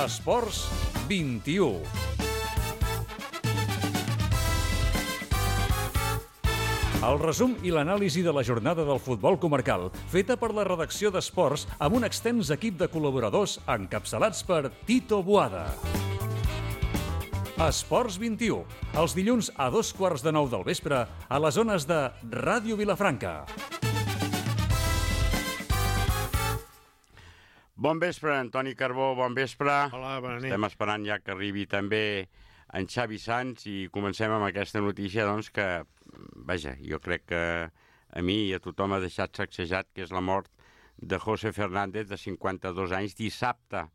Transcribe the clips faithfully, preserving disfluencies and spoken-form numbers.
Esports vint-i-u. El resum i l'anàlisi de la jornada del futbol comarcal, feta per la redacció d'Esports amb un extens equip de col·laboradors encapçalats per Tito Boada. Esports vint-i-u, els dilluns a dos quarts de nou del vespre a les zones de Ràdio Vilafranca. Bon vespre, Antoni Carbó, bon vespre. Hola, bona nit. Estem esperant ja que arribi també en Xavi Sans i comencem amb aquesta notícia, doncs, que, vaja, jo crec que a mi i a tothom ha deixat sacsejat, que és la mort de José Fernández, de cinquanta-dos anys, dissabte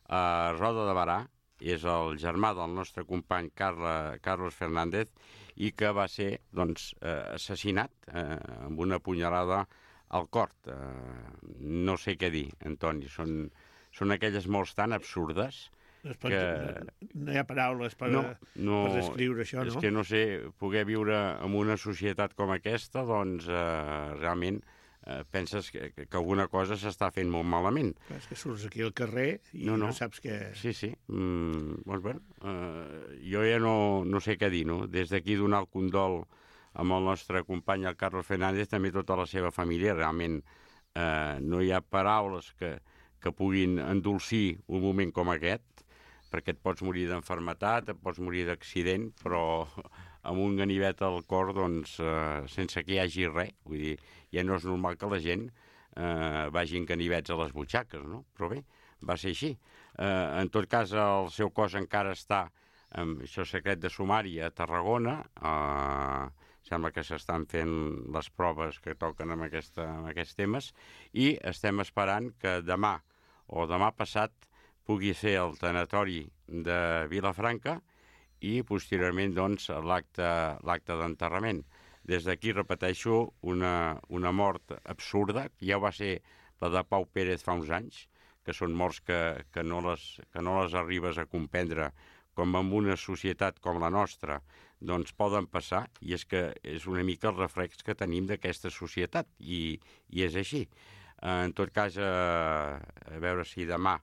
a Roda de Barà. És el germà del nostre company Carla, Carlos Fernández, i que va ser, doncs, eh, assassinat eh, amb una punyalada al cor. Eh, no sé què dir, Antoni. Són, són aquelles morts tan absurdes es pot, que... No hi ha paraules per, no, no, per descriure això, no? És que no sé, poder viure en una societat com aquesta, doncs, eh, realment eh, penses que, que alguna cosa s'està fent molt malament. És que surts aquí al carrer i no, no. no saps què... Sí, sí. Mm, doncs bé, eh, jo ja no, no sé què dir, no? Des d'aquí donar el condol amb el nostre company, el Carlos Fernández, també tota la seva família. Realment eh, no hi ha paraules que, que puguin endolcir un moment com aquest, perquè et pots morir d'enfermetat, et pots morir d'accident, però amb un ganivet al cor, doncs, eh, sense que hi hagi res. Vull dir, ja no és normal que la gent eh, vagi en ganivets a les butxaques, no? Però bé, va ser així. Eh, en tot cas, el seu cos encara està, amb això secret de sumari, a Tarragona. Eh, sembla que s'estan fent les proves que toquen amb, aquesta, amb aquests temes, i estem esperant que demà o demà passat pugui ser el tanatori de Vilafranca i posteriorment, doncs, l'acte l'acte d'enterrament. Des d'aquí, repeteixo, una, una mort absurda, que ja va ser la de Pau Pérez fa uns anys, que són morts que, que, no les, que no les arribes a comprendre, com en una societat com la nostra, doncs poden passar, i és que és una mica el reflex que tenim d'aquesta societat, i, i és així. En tot cas, a, a veure si demà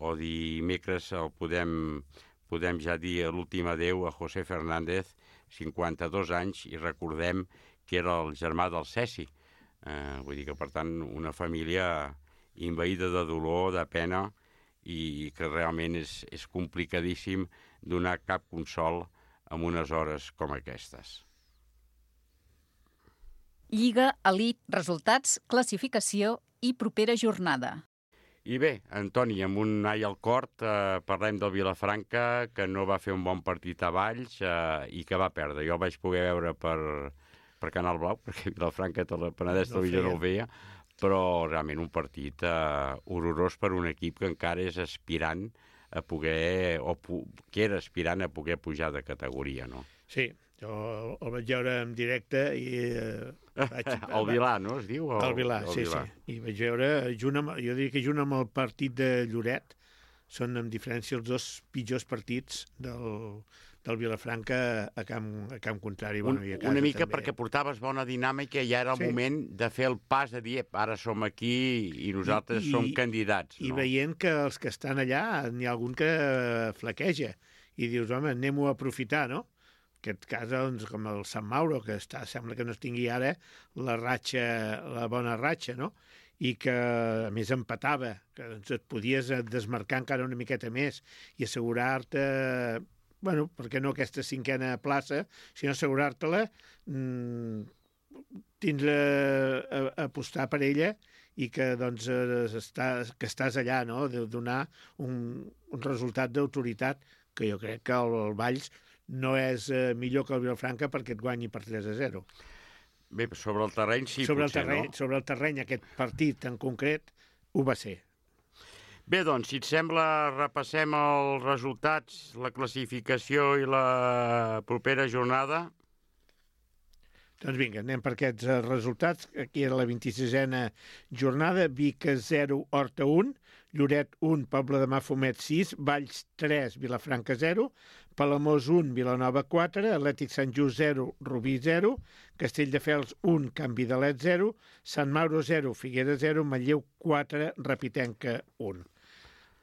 o dimecres el podem, podem ja dir l'últim adeu a José Fernández, cinquanta-dos anys, i recordem que era el germà del Ceci. Eh, vull dir que, per tant, una família envaïda de dolor, de pena, i que realment és, és complicadíssim donar cap consol en unes hores com aquestes. Lliga, elit, resultats, classificació i propera jornada. I bé, Antoni, amb un ai al cor, eh, parlem del Vilafranca, que no va fer un bon partit a Valls eh, i que va perdre. Jo el vaig poder veure per, per Canal Blau, perquè Vilafranca, tot el Penedès no Televisió no el veia, però realment un partit eh, horrorós per un equip que encara és aspirant a poder, o que era aspirant a poder pujar de categoria, no? Sí, jo el vaig veure en directe i... Eh, vaig, el Vilà, no, es diu? El, el Vilà, el sí, Vilà. sí. I vaig veure, junt amb, jo diria que junt amb el partit de Lloret, són amb diferència els dos pitjors partits del, del Vilafranca a camp, a camp contrari. Un, bueno, i a casa, una mica també. Perquè portaves bona dinàmica i ja era el sí. moment de fer el pas de dir, ara som aquí i nosaltres I, som candidats. I no? veient que els que estan allà, n'hi ha algun que flaqueja i dius, home, anem-ho a aprofitar, no? En aquest cas, doncs, com el Sant Mauro, que està, sembla que no es tingui ara la ratxa, la bona ratxa, no? I que, a més, empatava, que doncs, et podies desmarcar encara una miqueta més i assegurar-te, bueno, per què no aquesta cinquena plaça, sinó assegurar-te-la, mmm, tindre a, a apostar per ella i que, doncs, està, que estàs allà, no?, de donar un, un resultat d'autoritat, que jo crec que el, el Valls no és eh, millor que el Vilafranca perquè et guanyi per tres a zero. Bé, sobre el terreny sí, sobre potser, el terreny, no? Sobre el terreny, aquest partit en concret, ho va ser. Bé, doncs, si et sembla, repassem els resultats, la classificació i la propera jornada. Doncs vinga, anem per aquests resultats. Aquí era la vint-i-sisena jornada, Vic zero, Horta un, Lloret un, Pobla de Mafumet sis, Valls tres, Vilafranca zero, Palamós un, Vilanova quatre, Atlètic Sant Just zero, Rubí zero, Castelldefels un, Can Vidalet zero, Sant Mauro zero, Figueres zero, Manlleu quatre, Rapitenca un.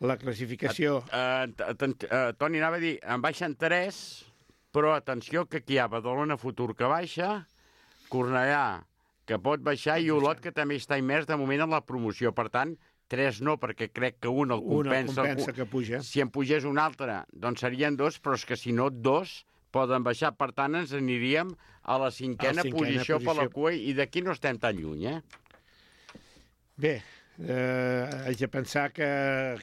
La classificació... Uh, uh, uh, Toni, anava a dir, en baixen tres, però atenció que aquí hi ha Badalona Futur que baixa, Cornellà que pot baixar i Olot que també està immers de moment en la promoció. Per tant, tres no, perquè crec que un el compensa. Un el compensa que puja. Si en pugés un altre, doncs serien dos, però és que si no, dos poden baixar. Per tant, ens aniríem a la cinquena, cinquena posició, posició per la cua i d'aquí no estem tan lluny, eh? Bé, eh, haig de pensar que...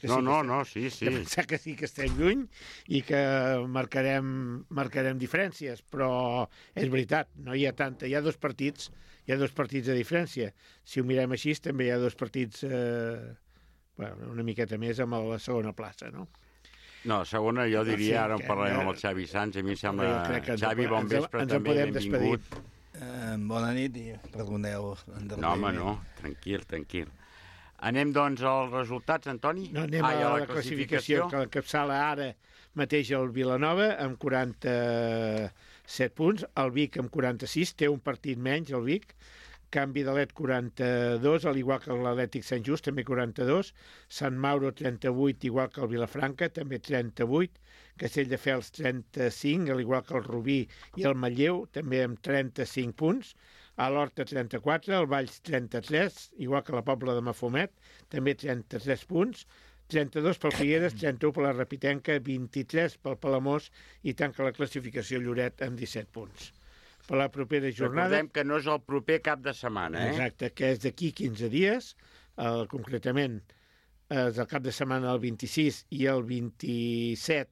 que no, sí no, que no, sí, sí. De pensar que sí que estem lluny i que marcarem, marcarem diferències, però és veritat, no hi ha tanta. Hi ha dos partits, hi ha dos partits de diferència. Si ho mirem així, també hi ha dos partits eh, bueno, una miqueta més amb la segona plaça, no? No, segona jo diria, sí, ara en parlarem amb el Xavi Sanz, a mi em sembla... Xavi, bon vespre, també, benvingut. Uh, bona nit i perdoneu. No, home, no, tranquil, tranquil. Anem, doncs, als resultats, Antoni? No, anem ah, a, a la, la classificació, classificació que l'encapçala ara mateix el Vilanova amb quaranta-set punts, el Vic amb quaranta-sis, té un partit menys, el Vic, Can Vidalet quaranta-dos, al igual que l'Atlètic Sant Just, també quaranta-dos, Sant Mauro trenta-vuit, igual que el Vilafranca, també trenta-vuit, Castelldefels trenta-cinc, al igual que el Rubí i el Manlleu, també amb trenta-cinc punts, a l'Horta trenta-quatre, el Valls trenta-tres, igual que la Pobla de Mafumet, també trenta-tres punts, trenta-dos pel Figueres, trenta-u per la Rapitenca, vint-i-tres pel Palamós i tanca la classificació Lloret amb disset punts. Per la propera jornada... Recordem que no és el proper cap de setmana, eh? Exacte, que és d'aquí quinze dies, eh, concretament és el cap de setmana el vint-i-sis i el vint-i-set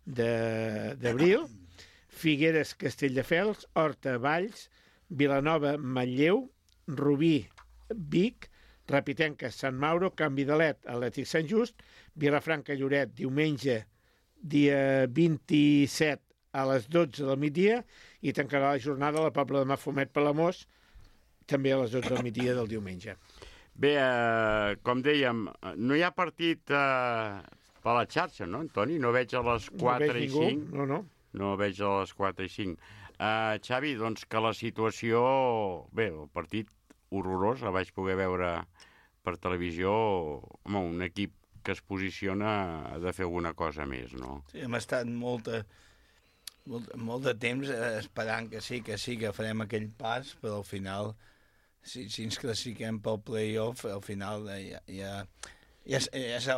d'abril, Figueres, Castelldefels, Horta, Valls, Vilanova, Manlleu, Rubí, Vic, Rapitenca, Sant Mauro, Can Vidalet, Atlètic Sant Just, Vilafranca, Lloret, diumenge, dia vint-i-set a les dotze del migdia, i tancarà la jornada a la Pobla de Mafumet Palamós, també a les dotze del migdia del diumenge. Bé, eh, com dèiem, no hi ha partit eh, per la xarxa, no, Antoni? No veig a les quatre i cinc. No, no. No veig a les quatre i cinc. Uh, Xavi, doncs que la situació... Bé, el partit horrorós, el vaig poder veure per televisió. Home, un equip que es posiciona ha de fer alguna cosa més, no? Sí, hem estat molta, molt, molt de temps esperant que sí, que sí, que farem aquell pas, però al final, si, si ens classifiquem pel play-off, al final ja... ja Ja, ja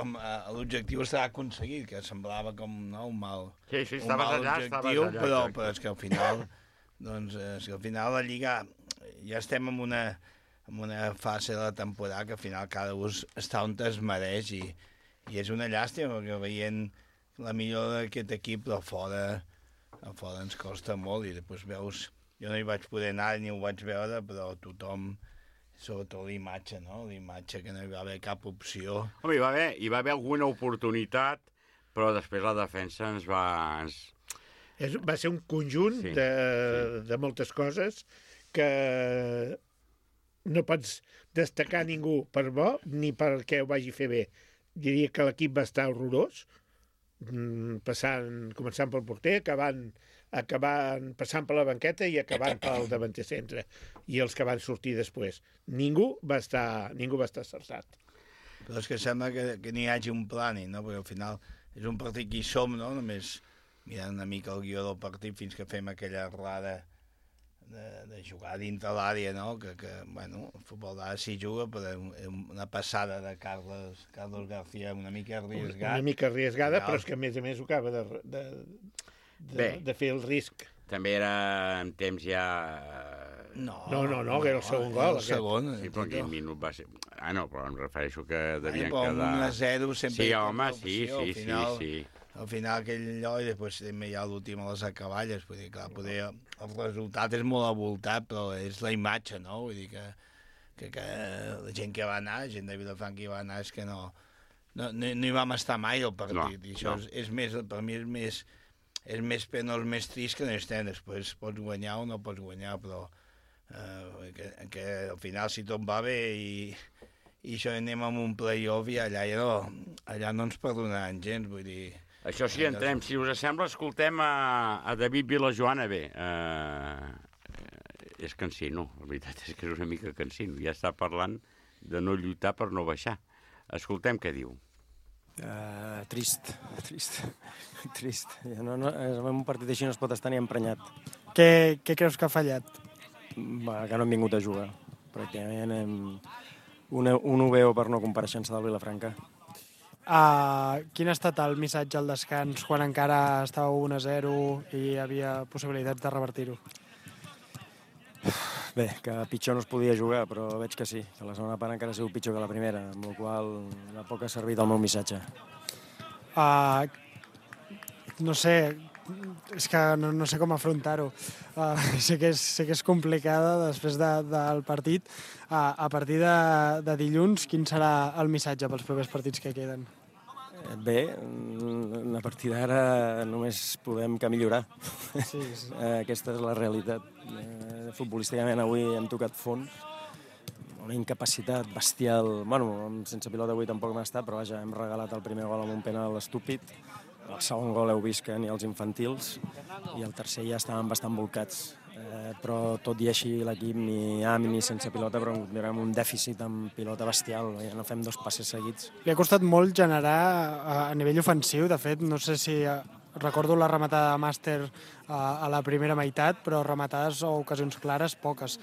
l'objectiu està aconseguit, que semblava com no, un mal, sí, sí, un mal allà, objectiu, allà, però, però és que al final, doncs, és que al final la Lliga ja estem en una, en una fase de la temporada que al final cada un està on es mereix i, i és una llàstima perquè veient la millor d'aquest equip, però fora, a fora ens costa molt i després veus, jo no hi vaig poder anar ni ho vaig veure, però tothom... sobretot l'imatge, no? L'imatge que no hi va haver cap opció. Home, hi va haver, hi va haver alguna oportunitat, però després la defensa ens va... Ens... És, va ser un conjunt sí, de, sí. de moltes coses que no pots destacar ningú per bo ni perquè ho vagi fer bé. Diria que l'equip va estar horrorós, passant, començant pel porter, acabant, acabant, passant per la banqueta i acabant pel davanter centre i els que van sortir després. Ningú va estar, ningú va estar acertat. Però és que sembla que, que n'hi hagi un plani, no? Perquè al final és un partit que hi som, no? Només mirant una mica el guió del partit fins que fem aquella errada de, de jugar dintre l'àrea, no? Que, que bueno, el futbol d'ara s'hi juga, però una passada de Carlos, Carlos García una mica arriesgada. Una mica arriesgada, però és que a més a més ho acaba de, de, de, de fer el risc. També era en temps ja... No, no, no, no que era el segon gol. El segon. Sí, però aquell minut va ser... Ah, no, però em refereixo que devien Ai, però quedar... un a zero sempre... Sí, home, sí, sí, sí, final, sí. Al final aquell allò i després també hi ha l'últim a les acaballes. Vull dir, clar, poder, el resultat és molt avoltat, però és la imatge, no? Vull dir que, que, que la gent que va anar, la gent de Vilafranca que va anar, és que no, no, no, no hi vam estar mai al partit. No, I això no. és, és més, per mi és més, és més penós, més trist que no estem. Després pots guanyar o no pots guanyar, però eh, que, que al final si tot va bé i, i això anem amb un play-off i allà, ja no, allà no ens perdonaran gens, vull dir... Això sí, entrem. Si us sembla, escoltem a, a David Vilajoana. Bé, eh, és cansino. La veritat és que és una mica cansino. Ja està parlant de no lluitar per no baixar. Escoltem què diu. Uh, trist, trist, trist. No, no, en un partit així no es pot estar ni emprenyat. Què, què creus que ha fallat? Va, que no hem vingut a jugar. Pràcticament hem... un, un ho veu per no compareixença del Vilafranca. Uh, quin ha estat el missatge al descans quan encara estava un a zero i hi havia possibilitats de revertir-ho? Bé, que pitjor no es podia jugar, però veig que sí, que la segona part encara ha sigut pitjor que la primera, amb la qual cosa de poc ha servit el meu missatge. Uh, no sé, és que no, no sé com afrontar-ho. Uh, sé, que és, sé que és complicada després de, del partit. Uh, a partir de, de dilluns, quin serà el missatge pels propers partits que queden? Bé, a partir d'ara només podem que millorar. Sí, sí. Aquesta és la realitat. Futbolísticament avui hem tocat fons, una incapacitat bestial. Bueno, sense pilota avui tampoc m'ha estat, però vaja, hem regalat el primer gol amb un penal estúpid. El segon gol heu vist que ni els infantils, i el tercer ja estaven bastant volcats. Eh, però tot i així l'equip ni amb ni sense pilota, però mirem un dèficit amb pilota bestial, ja no fem dos passes seguits. Li ha costat molt generar a, a nivell ofensiu, de fet, no sé si eh, recordo la rematada de Màster eh, a la primera meitat, però rematades o ocasions clares, poques.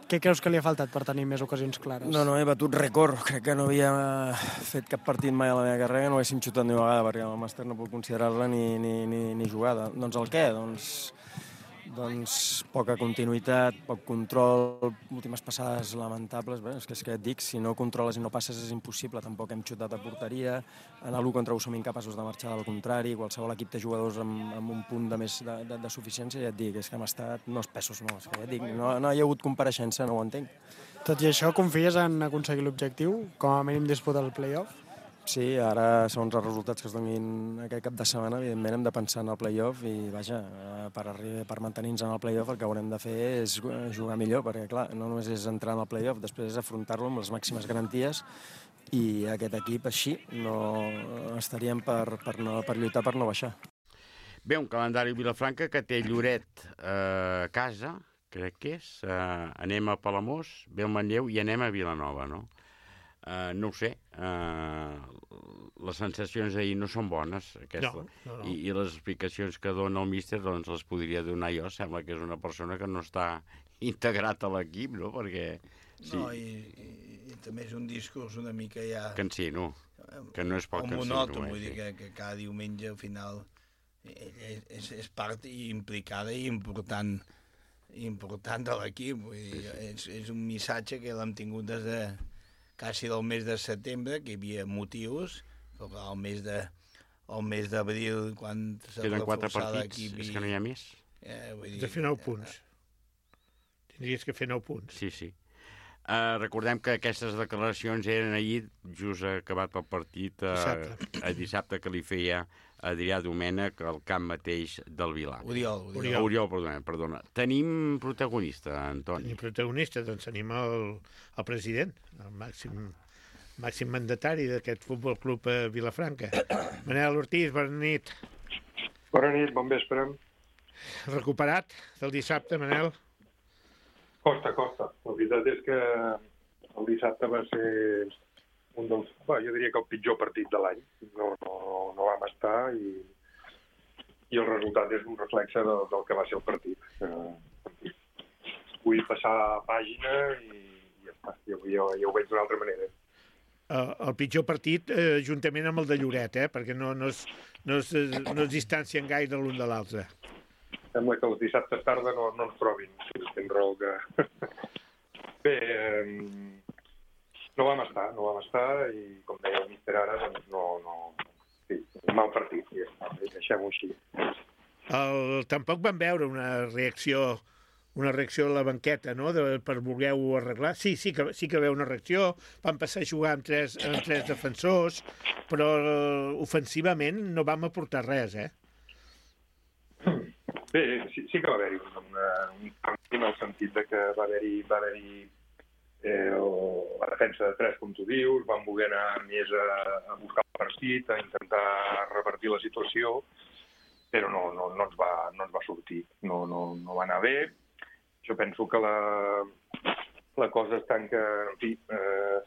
Què creus que li ha faltat per tenir més ocasions clares? No, no, he batut rècord. Crec que no havia fet cap partit mai a la meva carrera, no haguéssim xutat ni una vegada, perquè el Màster no puc considerar-la ni, ni, ni, ni jugada. Doncs el què? Doncs... doncs poca continuïtat, poc control, últimes passades lamentables. Bé, és que és que et dic, si no controles i no passes és impossible. Tampoc hem xutat a porteria, en l'u contra u som incapaços de marxar del contrari, qualsevol equip té jugadors amb, amb un punt de més de, de, de suficiència, i ja et dic, és que hem estat no espessos, no, és que ja et dic, no, no hi ha hagut compareixença, no ho entenc. Tot i això, confies en aconseguir l'objectiu? Com a mínim disputar el play-off? Sí, ara, segons els resultats que es donin aquest cap de setmana, evidentment hem de pensar en el play-off i, vaja, per, per mantenir-nos en el play-off el que haurem de fer és jugar millor, perquè, clar, no només és entrar en el play-off, després és afrontar-lo amb les màximes garanties, i aquest equip així no estaríem per, per, no, per lluitar per no baixar. Bé, un calendari Vilafranca que té Lloret eh, a casa, crec que és, eh, anem a Palamós, ve el Manlleu i anem a Vilanova, no? Uh, no ho sé, uh, les sensacions d'ahir no són bones, aquesta. No, no, no. I, i les explicacions que dona el míster doncs les podria donar jo. Sembla que és una persona que no està integrat a l'equip, no? Perquè... Sí. No, i, i, i també és un discurs una mica ja... Cansino, que no és poc cansino. Monòton, eh, vull dir sí. que, que cada diumenge al final és, és, és part implicada i important, important de l'equip. Vull dir, sí, sí. És, és un missatge que l'hem tingut des de quasi del mes de setembre, que hi havia motius, però el mes de el mes d'abril, quan s'ha Queden quatre reforçat partits, l'equip... és que no hi ha més. Eh, vull dir, de fer nou punts. Tindries que fer nou punts. Sí, sí. Uh, recordem que aquestes declaracions eren ahir, just acabat el partit, uh, Dissabte. a dissabte que li feia Adrià Domènech al camp mateix del Vilar. Oriol, Oriol. Oriol, Oriol perdona, perdona. Tenim protagonista, Antoni. Tenim protagonista, doncs tenim el, el president, el màxim, màxim mandatari d'aquest Futbol Club a Vilafranca. Manel Ortiz, bona nit. Bona nit, bon vespre. Recuperat del dissabte, Manel? Costa, costa. La veritat és que el dissabte va ser un dels... Bé, jo diria que el pitjor partit de l'any. No, no, no vam estar i, i el resultat és un reflexe del, del que va ser el partit. Eh, vull passar pàgina i ja està. Jo, jo, jo ho veig d'una altra manera. El, el pitjor partit eh, juntament amb el de Lloret, eh, perquè no, no, es, no, es, no es distancien gaire l'un de l'altre. Sembla que els dissabtes tarda no, no ens trobin, si tens raó que... Bé, eh, no vam estar, no vam estar i com deia el míster ara, doncs no... no... Sí, un mal partit, ja està, deixem-ho així. El, tampoc van veure una reacció una reacció a la banqueta, no?, de, per voler-ho arreglar. Sí, sí que, sí que veu una reacció, van passar a jugar amb tres, amb tres defensors, però ofensivament no vam aportar res, eh? Bé, sí, sí que va haver-hi un, un canvi en el sentit de que va haver-hi va haver-hi eh, la defensa de tres, com tu dius, van voler anar més a, a buscar el partit, a intentar revertir la situació, però no, no, no, ens, va, no ens va sortir, no, no, no va anar bé. Jo penso que la, la cosa està en que, en fi, eh,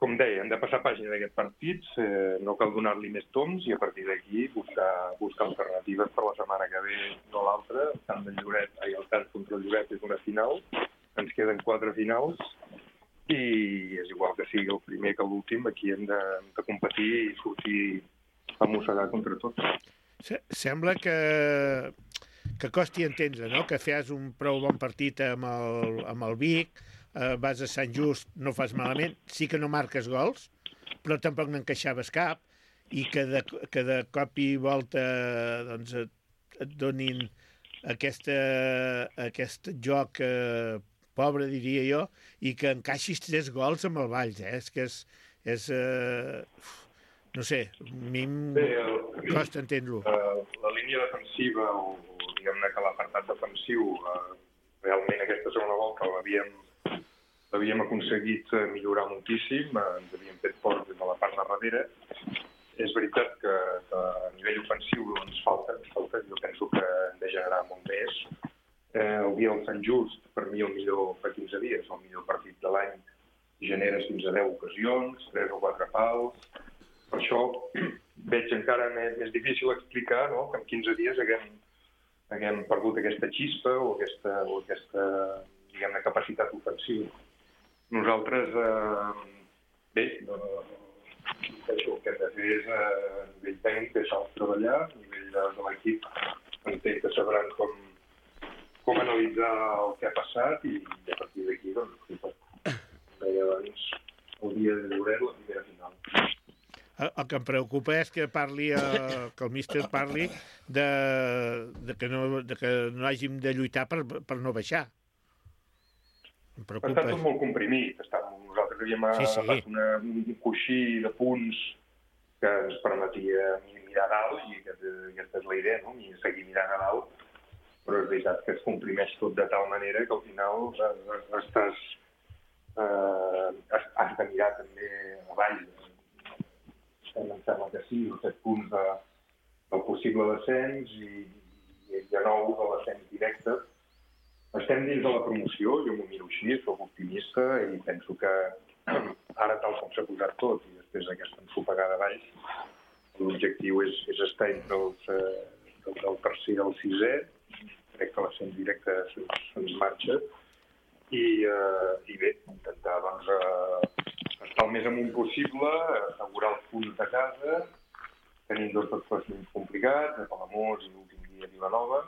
com deia, hem de passar pàgina d'aquest partit, eh, no cal donar-li més toms i a partir d'aquí buscar, buscar alternatives per la setmana que ve o l'altra. El camp del Lloret, ai, el camp contra el Lloret és una final, ens queden quatre finals i és igual que sigui el primer que l'últim, aquí hem de, de competir i sortir a mossegar contra tots. Sembla que, que costi entendre, no?, que fes un prou bon partit amb el, amb el Vic, eh, vas a Sant Just, no fas malament, sí que no marques gols, però tampoc n'encaixaves cap, i que de, que de cop i volta doncs, et, et donin aquesta, aquest joc eh, pobre, diria jo, i que encaixis tres gols amb el Valls, eh? És que és... és eh, no sé, a mi em costa entendre-ho. Uh, la línia defensiva, o, o diguem-ne que l'apartat defensiu, uh, realment aquesta segona volta l'havíem l'havíem aconseguit millorar moltíssim, uh, ens havíem fet forts des de la part de darrere. És veritat que, que a nivell ofensiu ens falta, ens falta, jo penso que hem de generar molt més. Eh, el dia del Sant Just, per mi el millor fa quinze dies, el millor partit de l'any, generes fins a deu ocasions, tres o quatre pals. Per això veig encara més, més difícil explicar, no?, que en quinze dies haguem, haguem perdut aquesta xispa o aquesta, o aquesta diguem-ne, capacitat ofensiva. Nosaltres, eh, bé, no, el que hem de fer és, eh, a nivell tècnic, deixar-los treballar, a nivell de, de l'equip, entenc que sabran com, com analitzar el que ha passat i, i a partir d'aquí, doncs, com deia abans, el dia de Lloret, la primera final. El que em preocupa és que parli, eh, que el míster parli de, de, que no, de que no hàgim de lluitar per, per no baixar. Em preocupa. Està tot molt comprimit. Està, nosaltres havíem sí, sí. agafat una, un coixí de punts que ens permetia mirar a dalt, i aquesta, aquesta és la idea, no?, i seguir mirant a dalt, però és veritat que es comprimeix tot de tal manera que al final estàs, eh, has de mirar també avall. Em sembla que sí, els set punts de, del possible descens i, i de nou de l'ascens directe. Estem dins de la promoció, jo m'ho miro així, soc optimista i penso que ara, tal com s'ha posat tot, i després d'aquesta ensopegada baix, l'objectiu és, és estar entre els, eh, del, del tercer i el sisè. Crec que l'ascens directe se'ns marxa i, eh, i bé, intentar doncs, eh, estar el més amunt possible, assegurar els punts de casa, tenim dos desplaçaments complicats, a Palamós i l'últim dia a Vilanova,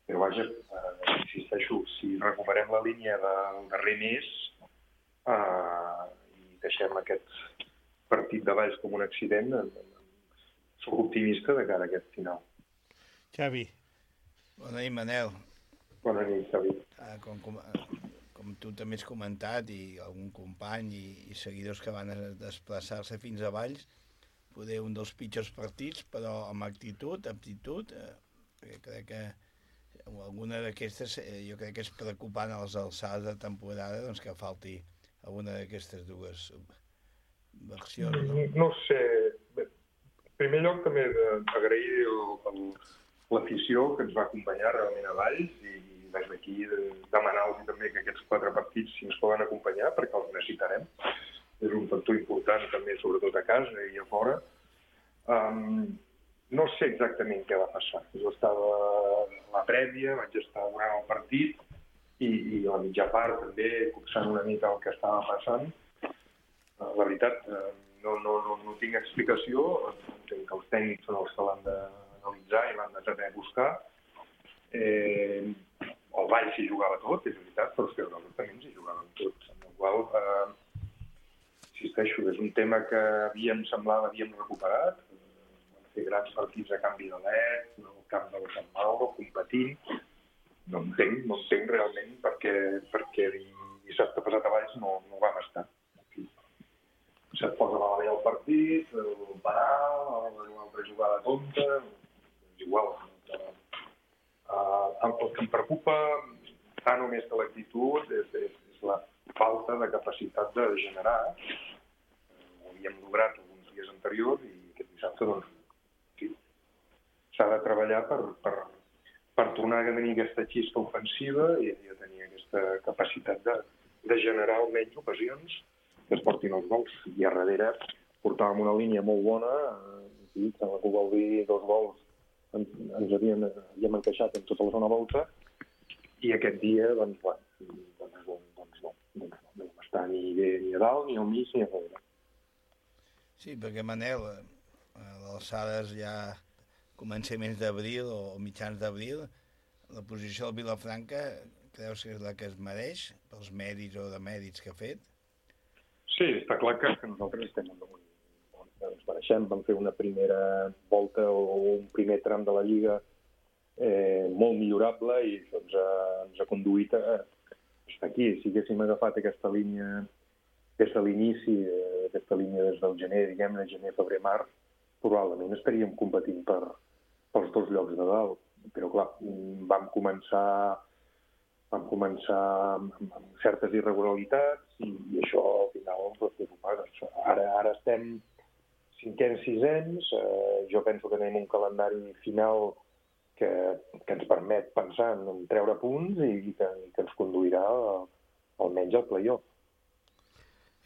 però vaja, eh, insisteixo, si recuperem la línia del darrer mes eh, i deixem aquest partit de baix com un accident, eh, soc optimista de cara a aquest final. Xavi. Bona nit, Manel. Bona nit, Xavi. Ah, com, com, com tu també has comentat, i algun company i, i seguidors que van desplaçar-se fins a Valls, poder un dels pitjors partits, però amb actitud, aptitud, eh, crec que alguna d'aquestes, eh, jo crec que és preocupant a les alçades de temporada, doncs que falti alguna d'aquestes dues versions. No, no sé. Bé, en primer lloc també agrair l'afició que ens va acompanyar realment a Valls i des d'aquí demanar-los també que aquests quatre partits si ens poden acompanyar perquè els necessitarem. És un factor important també, sobretot a casa i a fora. Um, no sé exactament què va passar. Jo estava a la prèvia, vaig estar durant el partit i, i a la mitja part també copsant una mica el que estava passant. Uh, la veritat, uh, no, no, no, no tinc explicació. Entenc que els tècnics són els que l'han d'analitzar i l'han de saber buscar. Eh, el Vall s'hi jugava tot, és veritat, però és que nosaltres també ens hi jugàvem tot. Amb el qual, eh, insisteixo, és un tema que havíem, semblava, havíem recuperat. Vam fer grans partits a Can Vidalet, al camp del Sant Mauro, competint. No entenc, no entenc realment perquè, perquè dissabte passat a Valls no, no vam estar. Aquí. Se't posa malament el partit, el parar, una altra jugada tonta, és igual. Uh, el que em preocupa tant o més que l'actitud és, és, és la falta de capacitat de generar. Ho havíem lograt alguns dies anteriors i aquest dissabte doncs, sí, s'ha de treballar per, per, per tornar a tenir aquesta xispa ofensiva i a tenir aquesta capacitat de, de generar almenys ocasions que es portin els gols. I a darrere portàvem una línia molt bona, i sembla que ho vol dir dos gols ens, ens havíem, havíem encaixat en tota la zona volta, i aquest dia, doncs, bueno, doncs, doncs, doncs, no, doncs no vam estar ni bé ni a dalt, ni al mig, ni a darrere. Sí, perquè Manel, a l'alçades ja començaments d'abril o mitjans d'abril, la posició del Vilafranca creus que és la que es mereix pels mèrits o de mèrits que ha fet? Sí, està clar que, que nosaltres estem en un... ens mereixem. Vam fer una primera volta o un primer tram de la Lliga eh, molt millorable i això ens ha, ens ha conduït a estar aquí. Si haguéssim agafat aquesta línia des de l'inici, eh, aquesta línia des del gener, diguem-ne, gener, febrer, març, probablement estaríem competint per, pels dos llocs de dalt. Però clar, vam començar vam començar amb, amb certes irregularitats i, i això al final doncs, ho pagues. Ara, ara estem cinquens, sisens, eh, jo penso que tenim un calendari final que, que ens permet pensar en treure punts i, i, que, i que ens conduirà a, almenys al play-off.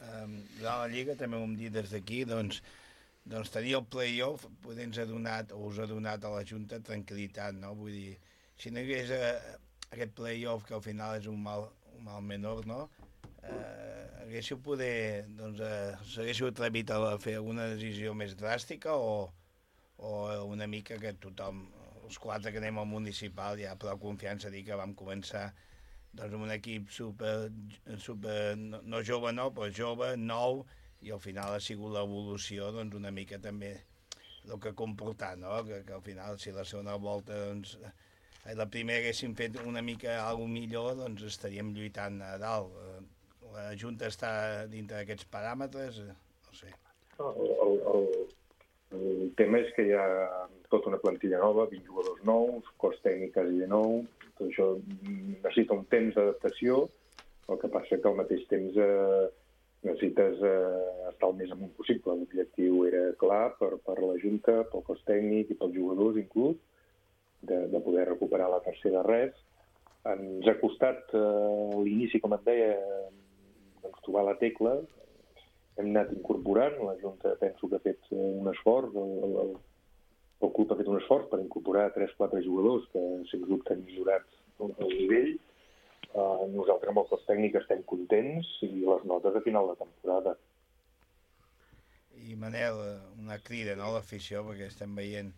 Um, durant la Lliga també ho hem dit des d'aquí, doncs, doncs tenir el play-off poder ens ha donat, o us ha donat a la Junta tranquil·litat, no? Vull dir, si no hi hagués eh, aquest play-off que al final és un mal, un mal menor, no? Eh, haguéssiu poder, doncs, eh, s'haguéssiu atrevit a fer alguna decisió més dràstica o, o una mica que tothom, els quatre que anem al municipal, ja prou confiança a dir que vam començar doncs, amb un equip super, super no, no jove no, però jove, nou, i al final ha sigut l'evolució doncs, una mica també el que ha comportat, no? que, que al final si la segona volta doncs, la primera haguéssim fet una mica alguna millor, doncs estaríem lluitant a dalt. La Junta està dintre d'aquests paràmetres? No sé. El, el, el, el tema és que hi ha tota una plantilla nova, vint jugadors nous, cos tècnic quasi de nou, tot això necessita un temps d'adaptació, el que passa que al mateix temps eh, necessites eh, estar el més amunt possible. L'objectiu era clar per, per la Junta, pel cos tècnic i pels jugadors inclús, de, de poder recuperar la tercera res. Ens ha costat eh, l'inici, com et deia, doncs, trobar la tecla. Hem anat incorporant, la Junta penso que ha fet un esforç, el, el, el club ha fet un esforç per incorporar tres o quatre jugadors que sens dubte han millorat el nivell. Uh, nosaltres amb el cos tècnic estem contents i les notes a final de temporada. I Manel, una crida, no?, a l'afició, perquè estem veient...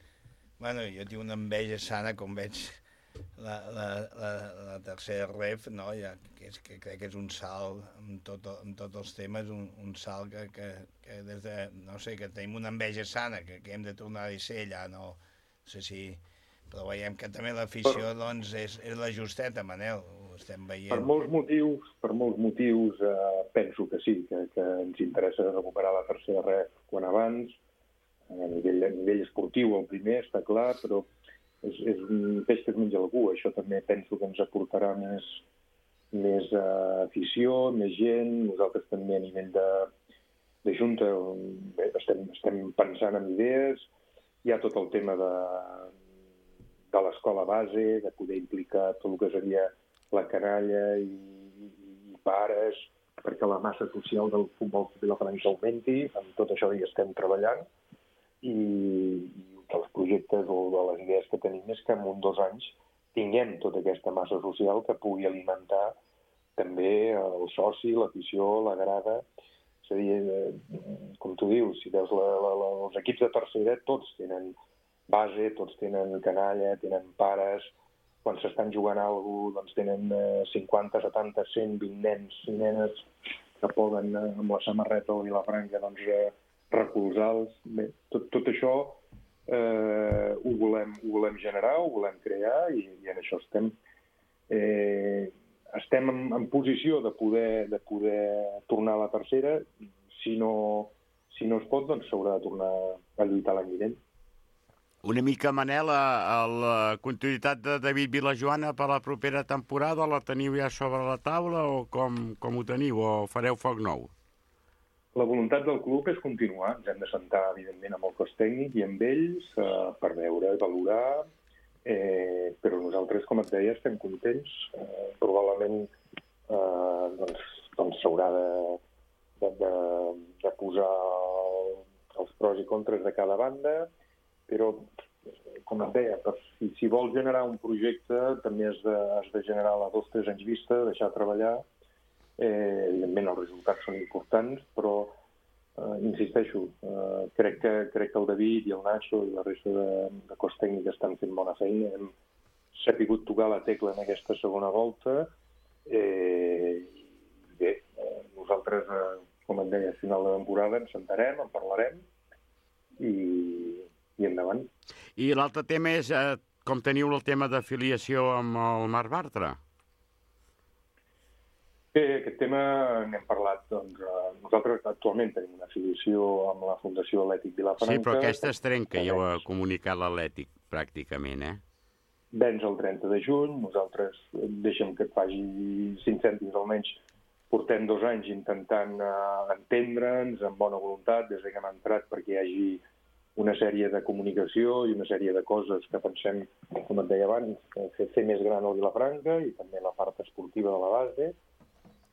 Bueno, jo tinc una enveja sana com veig la, la, la, la tercera ref, no? Ja, que, és, que crec que és un salt amb, tot, amb tots els temes, un, un salt que, que, que des de, no sé, que tenim una enveja sana, que, que hem de tornar a ser allà, no, no sé si... Però veiem que també l'afició, doncs, és, és la justeta, Manel, ho estem veient. Per molts motius, per molts motius eh, penso que sí, que, que ens interessa recuperar la tercera ref quan abans, a nivell, a nivell esportiu el primer, està clar, però és, és un peix que es menja algú. Això també penso que ens aportarà més, més uh, afició, més gent. Nosaltres també a nivell de, de Junta bé, estem, estem pensant en idees. Hi ha tot el tema de, de l'escola base, de poder implicar tot el que seria la canalla i, i pares, perquè la massa social del futbol vilafranquenc augmenti. Amb tot això hi estem treballant. I, i dels projectes o de les idees que tenim és que en un dos anys tinguem tota aquesta massa social que pugui alimentar també el soci, l'afició, la grada. És a dir, com tu dius, si veus la, la, la, els equips de tercera, tots tenen base, tots tenen canalla, tenen pares. Quan s'estan jugant alguna cosa, doncs tenen cinquanta, setanta, cent, vint nens i nenes que poden amb la samarreta o Vilafranca doncs, recolzar-los. Bé, tot, tot això eh, ho, volem, ho volem generar, ho volem crear i, i en això estem. Eh, estem en, en posició de poder, de poder tornar a la tercera. Si no, si no es pot, doncs s'haurà de tornar a lluitar l'any vinent. Una mica, Manel, a, a la continuïtat de David Vilajoana per a la propera temporada la teniu ja sobre la taula o com, com ho teniu? O fareu foc nou? La voluntat del club és continuar. Ens hem de sentar, evidentment, amb el cos tècnic i amb ells eh, per veure, valorar, eh, però nosaltres, com et deia, estem contents. Eh, probablement eh, doncs, doncs s'haurà de, de, de, de posar els pros i contres de cada banda, però, com et deia, per, si, si vols generar un projecte també has de, has de generar a dos o tres anys vista, deixar treballar. Eh, evidentment els resultats són importants, però eh, insisteixo, eh, crec, que, crec que el David i el Nacho i la resta de, de cos tècnic estan fent bona feina. Hem sapigut tocar la tecla en aquesta segona volta. Eh, bé, eh, nosaltres, eh, com et deia, a final de temporada ens sentarem, en parlarem i, i endavant. I l'altre tema és eh, com teniu el tema d'afiliació amb el Marc Bartra? Bé, aquest tema n'hem parlat. Doncs, eh, nosaltres actualment tenim una afiliació amb la Fundació Atlètic Vilafranca. Sí, però aquesta es trenca, ja ho ha comunicat l'Atlètic, pràcticament, eh? Vens el trenta de juny, nosaltres, deixem que et faci cinc cèntims almenys, portem dos anys intentant uh, entendre'ns amb bona voluntat des que hem entrat perquè hi hagi una sèrie de comunicació i una sèrie de coses que pensem, com et deia abans, fer, fer més gran el Vilafranca i també la part esportiva de la base.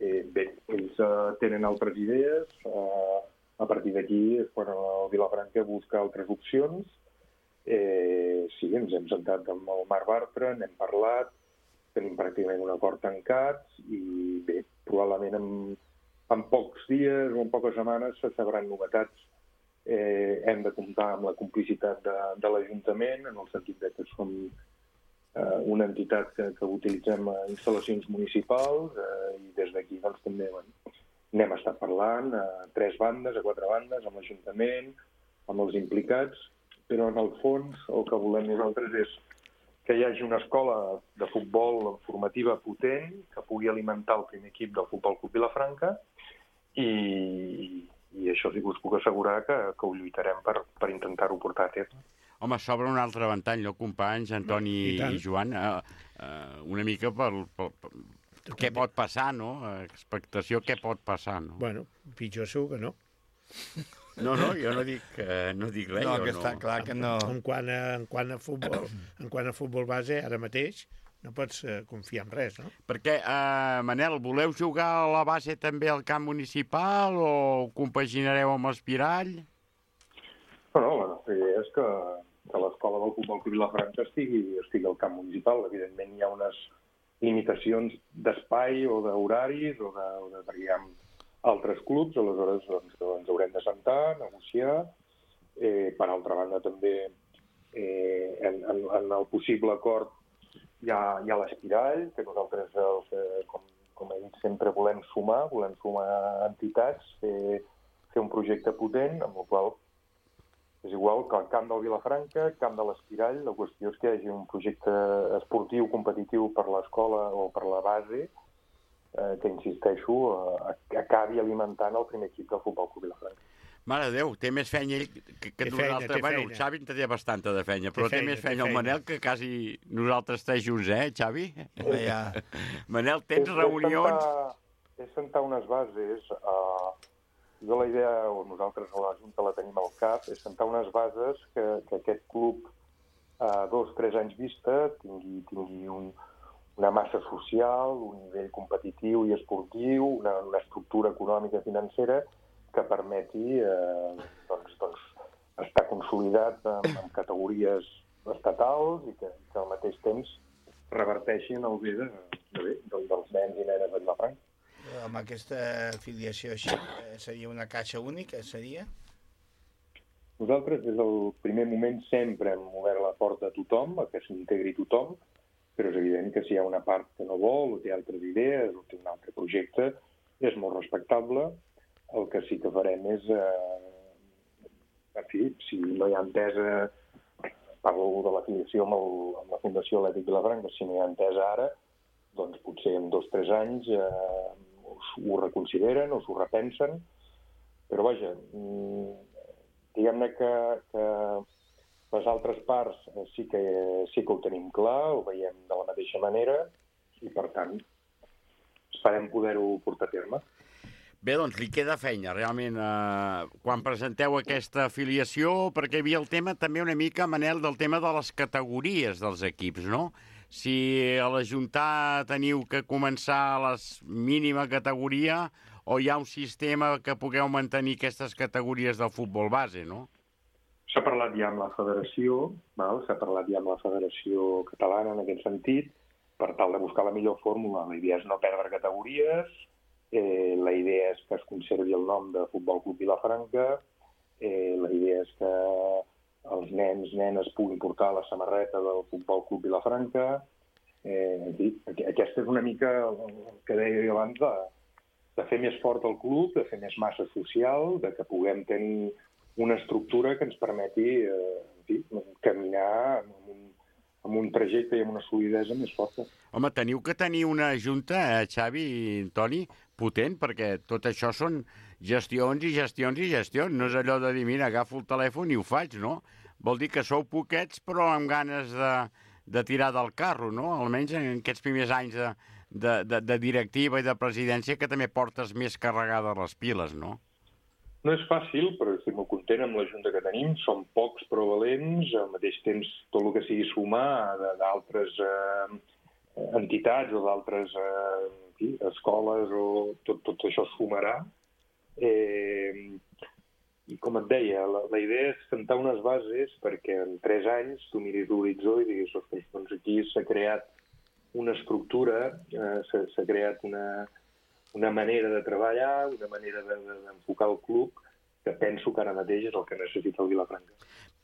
Eh, bé, ells uh, tenen altres idees, uh, a partir d'aquí és quan el Vilafranca busca altres opcions. Eh, sí, ens hem sentat amb el Marc Bartra, n'hem parlat, tenim pràcticament un acord tancat i bé, probablement en, en pocs dies o en poques setmanes se sabran novetats. Eh, hem de comptar amb la complicitat de, de l'Ajuntament, en el sentit de que som eh, una entitat que, que utilitzem instal·lacions municipals eh, i des d'aquí doncs, també bueno, n'hem estat parlant a tres bandes, a quatre bandes, amb l'Ajuntament, amb els implicats, però en el fons el que volem nosaltres és que hi hagi una escola de futbol formativa potent que pugui alimentar el primer equip del Futbol Club Vilafranca i, i això sí que us puc assegurar que, que ho lluitarem per, per intentar-ho portar a terme. Home, s'obre un altre ventall, no, companys, Antoni i, i Joan? Uh, uh, una mica per, per, per què pot passar, no? Expectació, què pot passar, no? Bueno, pitjor segur que no. No, no, jo no dic, uh, no dic res. No, jo que no. està clar que no... En quant a, en quant a futbol, en quant a futbol base, ara mateix no pots uh, confiar en res, no? Perquè, uh, Manel, voleu jugar a la base també al camp municipal o compaginareu amb l'Espirall? No, no, la nostra idea és que, que l'escola del Futbol Club Vilafranca estigui, estigui al camp municipal. Evidentment hi ha unes limitacions d'espai o d'horaris o de, o de perquè hi ha altres clubs, aleshores doncs, ens haurem de sentar, negociar. Eh, per altra banda, també eh, en, en, en el possible acord hi ha, hi ha l'Espirall, que nosaltres, els, eh, com, com he dit, sempre volem sumar, volem sumar entitats, fer, fer un projecte potent, amb el qual és igual que el camp del Vilafranca, camp de l'Espirall, la qüestió és que hi hagi un projecte esportiu competitiu per l'escola o per la base, Eh, que, insisteixo, eh, acabi alimentant el primer equip del Futbol Club Vilafranca. Mare de Déu, té més feina ell que, que nosaltres. Bueno, el Xavi en té bastanta de feina, però té, té feina, més feina el Manel que quasi nosaltres tres junts, eh, Xavi? Ja. Manel, tens és, reunions... És sentar, és sentar unes bases... Eh, jo la idea, o nosaltres a la Junta la tenim al cap, és sentar unes bases que, que aquest club a dos, tres anys vista tingui, tingui un... una massa social, un nivell competitiu i esportiu, una, una estructura econòmica i financera que permeti eh, doncs, doncs, estar consolidat amb, amb categories estatals i que, que al mateix temps reverteixin el bé, de, de bé dels, dels nens i nenes de Vilafranca. Amb aquesta afiliació així, seria una caixa única, seria? Nosaltres, des del primer moment, sempre hem obert la porta a tothom, a que s'integri tothom, però és evident que si hi ha una part que no vol, o té altres idees, o té un altre projecte, és molt respectable. El que sí que farem és, eh, en fi, si no hi ha entesa, parlo de l'afiliació amb, el, amb la Fundació Atlètic Vilafranca, si no hi ha entesa ara, doncs potser en dos o tres anys eh, ho reconsideren o s'ho repensen, però vaja, diguem-ne que... que les altres parts sí que, sí que ho tenim clar, ho veiem de la mateixa manera i, per tant, esperem poder-ho portar a terme. Bé, doncs li queda feina, realment, eh, quan presenteu aquesta afiliació, perquè hi havia el tema també una mica, Manel, del tema de les categories dels equips, no? Si a l'Ajuntar teniu que començar a la mínima categoria o hi ha un sistema que pugueu mantenir aquestes categories del futbol base, no? S'ha parlat ja amb la federació, val? S'ha parlat ja amb la federació catalana en aquest sentit, per tal de buscar la millor fórmula. La idea és no perdre categories, eh, la idea és que es conservi el nom de Futbol Club Vilafranca, eh, la idea és que els nens, nenes puguin portar la samarreta del Futbol Club Vilafranca. Eh, en fi, aquesta és una mica el que deia jo abans de, de fer més fort el club, de fer més massa social, de que puguem tenir una estructura que ens permeti eh, en fi, caminar amb un, amb un trajecte i amb una solidesa més forta. Home, teniu que tenir una junta, eh, Xavi i Toni, potent, perquè tot això són gestions i gestions i gestions. No és allò de dir, mira, agafo el telèfon i ho faig, no? Vol dir que sou poquets, però amb ganes de, de tirar del carro, no? Almenys en aquests primers anys de, de, de, de directiva i de presidència, que també portes més carregades les piles, no? No és fàcil, però estic molt content amb la junta que tenim. Som pocs però valents, al mateix temps tot el que sigui sumar d'altres eh, entitats o d'altres eh, escoles, o tot, tot això sumarà. Eh, I com et deia, la, la idea és sentar unes bases perquè en tres anys tu miris l'horitzó i diguis, ostres, doncs aquí s'ha creat una estructura, eh, s'ha creat una... una manera de treballar, una manera d'enfocar de, de, el club, que penso que ara mateix és el que necessita el Vilafranca.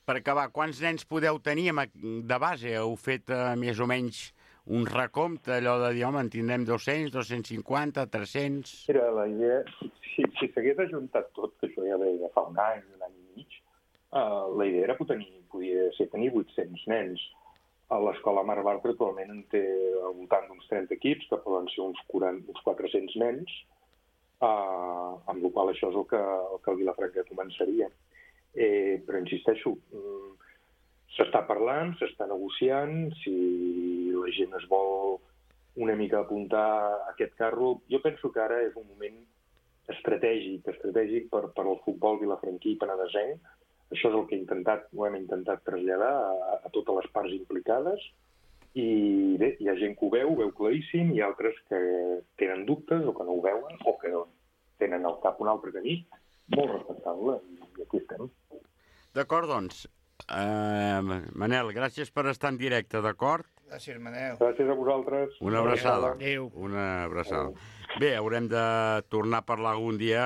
Per acabar, quants nens podeu tenir de base? Heu fet eh, més o menys un recompte, allò de dir, home, en tindrem dos-cents, dos-cents cinquanta, tres-cents... Mira, la idea, si si s'hagués ajuntat tot, que això ja ve de fa un any, un any i mig, uh, la idea era tenir, podia ser tenir vuit-cents nens. A l'escola Mar Bartra actualment en té al voltant d'uns trenta equips, que poden ser uns, quaranta, uns quatre-cents nens, uh, amb la qual això és el que el, que el Vilafranca començaria. Eh, però insisteixo, s'està parlant, s'està negociant, si la gent es vol una mica apuntar a aquest carro. Jo penso que ara és un moment estratègic, estratègic per, per al futbol vilafranquí i penedesenc. Això és el que he intentat, ho hem intentat traslladar a, a totes les parts implicades i bé, hi ha gent que ho veu, ho veu claríssim, i altres que tenen dubtes o que no ho veuen o que tenen al cap un altre camí. Molt respectable, i aquí estem. D'acord, doncs. Uh, Manel, gràcies per estar en directe, d'acord? Gràcies, Manel. Gràcies a vosaltres. Una abraçada. Adéu. Una abraçada. Bé, haurem de tornar a parlar algun dia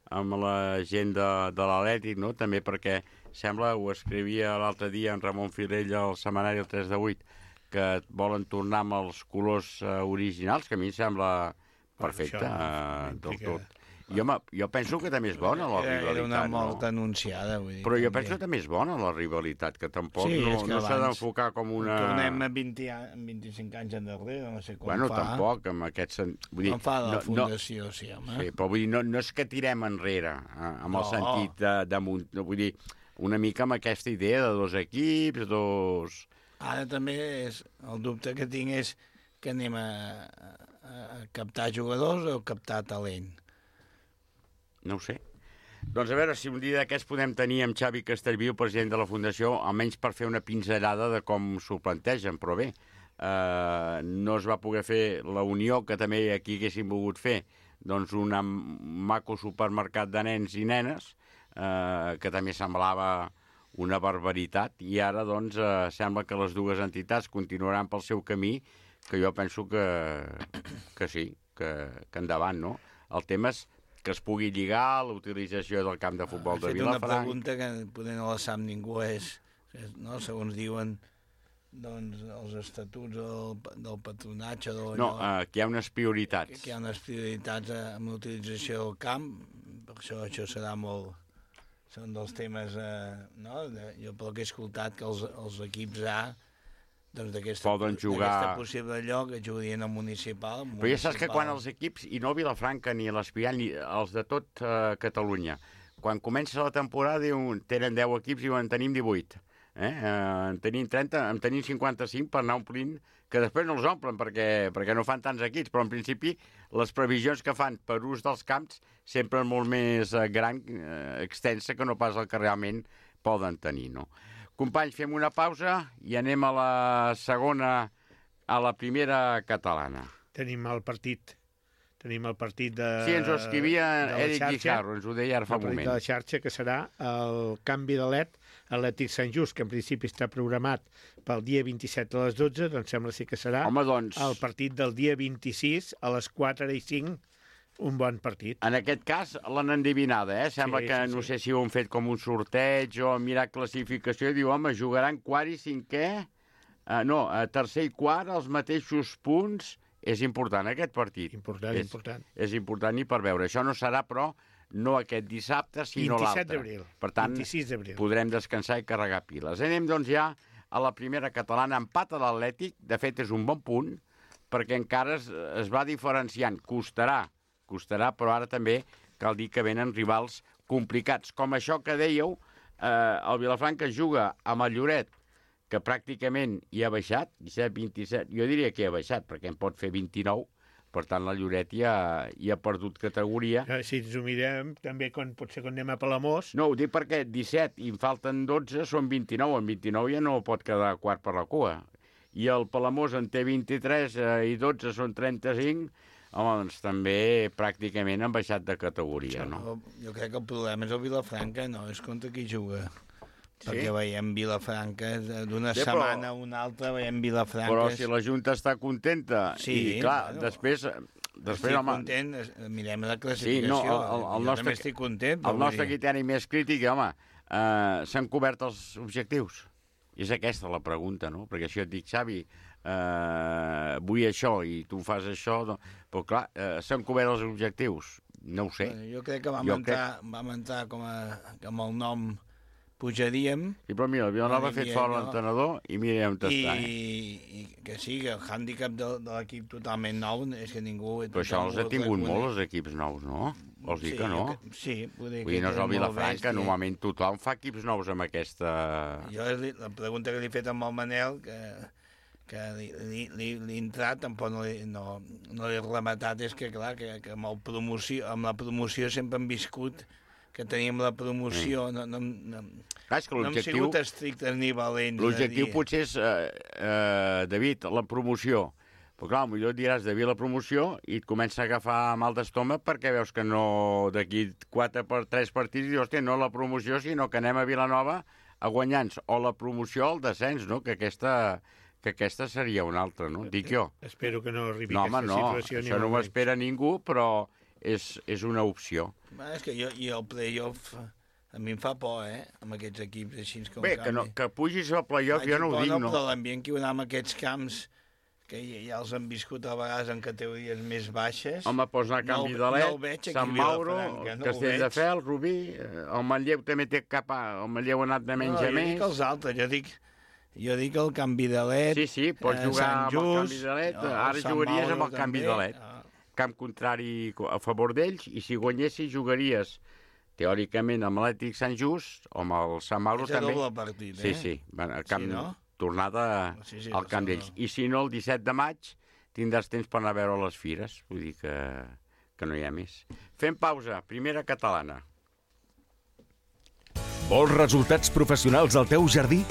amb la gent de, de l'Atlètic, no? També perquè sembla, ho escrivia l'altre dia en Ramon Filell al setmanari el tres de vuit, que volen tornar amb els colors uh, originals, que a mi em sembla perfecte, uh, del tot. Jo, jo penso que també és bona la rivalitat. Era una mort no? anunciada, vull dir. Però jo penso que també és bona la rivalitat, que tampoc sí, no, que no s'ha d'enfocar com una... Tornem a vint, vint-i-cinc anys endarrere, no sé com bueno, fa. Bueno, tampoc, amb aquest sentit... Vull dir, com fa la no, fundació, no, sí, home. Sí, però vull dir, no, no és que tirem enrere, eh, amb no. el sentit de, de munt... Vull dir, una mica amb aquesta idea de dos equips, dos... Ara també és, el dubte que tinc és que anem a, a, a captar jugadors o captar talent. No ho sé. Doncs a veure si un dia d'aquests podem tenir amb Xavi Castellví, president de la Fundació, almenys per fer una pinzellada de com s'ho plantegen, però bé, eh, no es va poder fer la unió que també aquí haguéssim volgut fer, doncs un maco supermercat de nens i nenes, eh, que també semblava una barbaritat, i ara doncs eh, sembla que les dues entitats continuaran pel seu camí, que jo penso que, que sí, que, que endavant, no? El tema és que es pugui lligar la utilització del camp de futbol de Vilafranca. Una pregunta que poder no la sap ningú és, és no? Segons diuen doncs, els estatuts del, del patronatge... Del, no, uh, que hi ha unes prioritats. Que, que hi ha unes prioritats amb l'utilització del camp, per això això serà molt... Són dels temes... Eh, no? De, jo pel que he escoltat que els, els equips A doncs d'aquesta jugar... possible lloc que jugarien al municipal, municipal. Però ja saps que quan els equips, i no Vilafranca ni l'Espiral, ni els de tot uh, Catalunya, quan comença la temporada diuen, tenen deu equips i en tenim divuit. Eh? Uh, en tenim trenta, en tenim cinquanta-cinc per anar omplint, que després no els omplen perquè, perquè no fan tants equips, però en principi les previsions que fan per ús dels camps sempre és molt més uh, gran, uh, extensa, que no pas el que realment poden tenir, no? Companys, fem una pausa i anem a la segona, a la primera catalana. Tenim el partit Tenim el partit de... Sí, ens ho escrivia de la Eric xarxa, Guijarro, ens ho deia ara fa el un partit moment. de la xarxa, que serà el canvi de L E D Atlètic Sant Just, que en principi està programat pel dia vint-i-set a les dotze, doncs sembla sí que serà Home, doncs, el partit del dia vint-i-sis a les quatre i cinc, un bon partit. en aquest cas l'han endivinada, eh? Sembla Sí, que sí, no sí. sé si ho han fet com un sorteig o han mirat classificació i diu, home, jugaran quart i cinquè, uh, no, uh, tercer i quart, els mateixos punts. És important aquest partit. Important, és, important. És important i per veure. Això no serà, però, no aquest dissabte, sinó l'altre. vint-i-set d'abril. Per tant, vint-i-sis d'abril. podrem descansar i carregar piles. Anem, doncs, ja a la primera catalana. Empat a l'Atlètic. De fet, és un bon punt, perquè encara es, es va diferenciant. Costarà, costarà, però ara també cal dir que venen rivals complicats. Com això que dèieu, eh, el Vilafranca juga amb el Lloret, que pràcticament hi ha baixat, disset, vint-i-set, jo diria que hi ha baixat, perquè en pot fer vint-i-nou, per tant la Lloret ja, ja ha perdut categoria. Si ens ho mirem, també quan, potser quan anem a Palamós... No, ho dic perquè disset i en falten dotze, són vint-i-nou, en vint-i-nou ja no pot quedar quart per la cua. I el Palamós en té vint-i-tres eh, i dotze són trenta-cinc, home, doncs també pràcticament han baixat de categoria, no? Jo crec que el problema és el Vilafranca, no és contra qui juga. Sí? Perquè veiem Vilafranca, d'una Sí, però- setmana a una altra veiem Vilafranca... Però si la Junta està contenta, Sí, i clar, bueno, després... després estic home, content, es- mirem la sí, classificació. no, el, el, el jo nostre, també estic content. el vull nostre dir. criteri més crític, home, eh, s'han cobert els objectius? És aquesta la pregunta, no? Perquè si jo et dic, Xavi, eh, vull això i tu fas això, no? Però clar, eh, s'han cobert els objectius? No ho sé. Bueno, jo crec que vam, Jo entrar, vam entrar com a, amb el nom pujaríem. Sí, però mira, el Vilanova ha Vale, fet mira, fora no. l'entenedor i mira on I, està, eh? i que sí, que el hàndicap de, de l'equip totalment nou és que ningú... Però això els ha tingut molt, els equips nous, no? Vols dir sí, que no? jo Que, sí, vull dir Vull dir, no és el que molt Vilafranca, bèstia. normalment tothom fa equips nous amb aquesta... Jo li, la pregunta que li he fet amb el Manel, que, que li, li, li, li he entrat, tampoc no, li, no, no l'he rematat, és que clar, que, que amb, el promoció, amb la promoció sempre hem viscut que teníem la promoció, no, no, no, Clar, és que no hem l'objectiu... sigut estrictes ni valents. L'objectiu potser és, eh, eh, David, la promoció. Però clar, potser et diràs de la promoció i et comença a agafar mal d'estómac perquè veus que no, d'aquí quatre per tres partits, dius, hòstia, no la promoció, sinó que anem a Vilanova a guanyar-nos. O la promoció o el descens, no? Que aquesta, que aquesta seria una altra, no? Dic jo. Espero que no arribi No, a home, aquesta no, situació. ni això no molt ho menys. espera ningú, però és, és una opció. Bueno, és que jo, i el playoff a mi em fa por, eh? Amb aquests equips així com Bé, que, no, que pugis al playoff, jo no ho dic, no. Però l'ambient que hi haurà en aquests camps, que ja, ja els han viscut a vegades en categories més baixes... Home, pots anar a Canvi no, de no el Let, veig aquí Sant a Mauro, Vilafranca, no el Castelldefels, Rubí, eh, el Manlleu també té cap a... El Manlleu ha anat de menys no, a jo més. dic els altres, jo dic, jo dic el Canvi de Let... Sí, sí, pots eh, jugar Sant amb el Just, Canvi de Let, el ara Sant jugaries Mauro amb el Canvi també, de Let. ah. Camp contrari a favor d'ells, i si guanyessis jugaries teòricament amb l'Atlètic Sant Just o amb el Sant Mauro És a també. doble partit, Sí, eh? sí, van al camp, Sí, no? tornada Sí, sí, al camp no. d'ells. I si no, el disset de maig tindràs temps per anar a veure les fires, vull dir que, que no hi ha més. Fem pausa, primera catalana. Vols resultats professionals al teu jardí?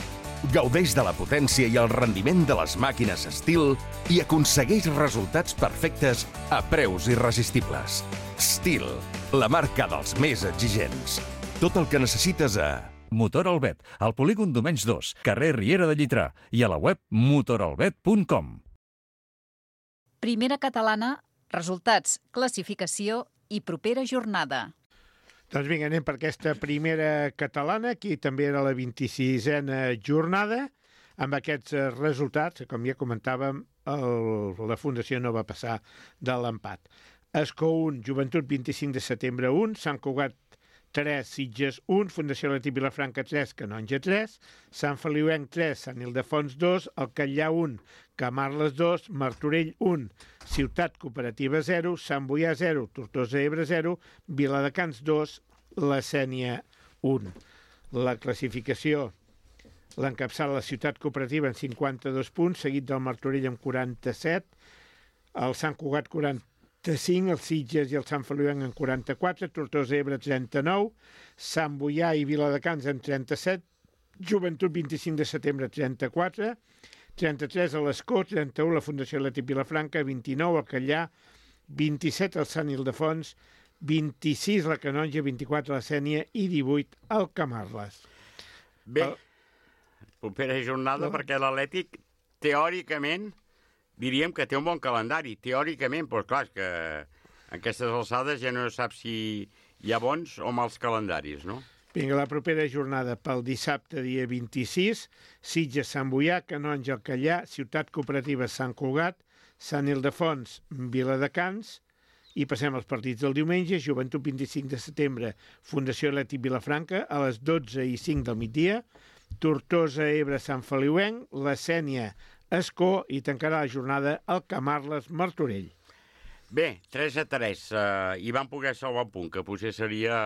Gaudeix de la potència i el rendiment de les màquines Stihl i aconsegueix resultats perfectes a preus irresistibles. Stihl, la marca dels més exigents. Tot el que necessites a... Motor Albet, al polígon Domenys dos, carrer Riera de Llitrà i a la web motoralbet punt com. Primera catalana, resultats, classificació i propera jornada. Doncs vinga, anem per aquesta primera catalana, aquí també era la vint-i-sisena jornada, amb aquests eh, resultats, com ja comentàvem, el, la Fundació no va passar de l'empat. Escó un, Joventut vint-i-cinc de setembre un, Sant Cugat tres, Sitges un, Fundació Atlètic Vilafranca tres, Canonja tres, Sant Feliuenc tres, Sant Ildefons dos, El Catllà un, Camarles dos, Martorell un, Ciutat Cooperativa zero, Sant Boià zero, Tortosa Ebre zero, Viladecans dos, La Sénia un. La classificació l'encapçala la Ciutat Cooperativa amb cinquanta-dos punts, seguit del Martorell amb quaranta-set, el Sant Cugat quaranta-cinc, el Sitges i el Sant Feliuenc amb quaranta-quatre, Tortosa Ebre trenta-nou, Sant Boià i Viladecans amb trenta-set, Joventut vint-i-cinc de setembre trenta-quatre, trenta-tres a l'Escó, trenta-u la Fundació Atlètic Vilafranca, vint-i-nou al Catllà, vint-i-set el Sant Ildefons, vint-i-sis la Canonja, vint-i-quatre la Sénia i divuit el Camarles. Bé, propera jornada, no? Perquè l'Atlètic, teòricament, diríem que té un bon calendari, teòricament, però clar, que en aquestes alçades ja no saps si hi ha bons o mals calendaris, no? Vinga, la propera jornada pel dissabte, dia vint-i-sis, Sitges, Sant Boià, Canonja, el Callà, Ciutat Cooperativa, Sant Cugat, Sant Ildefons, Viladecans, i passem als partits del diumenge, Joventut, vint-i-cinc de setembre, Fundació Atlètic Vilafranca, a les dotze i cinc del migdia, Tortosa, Ebre, Sant Feliuenc, la Sénia, Escó, i tancarà la jornada el Camarles, Martorell. Bé, tres a tres, eh, i van poder salvar un punt, que potser seria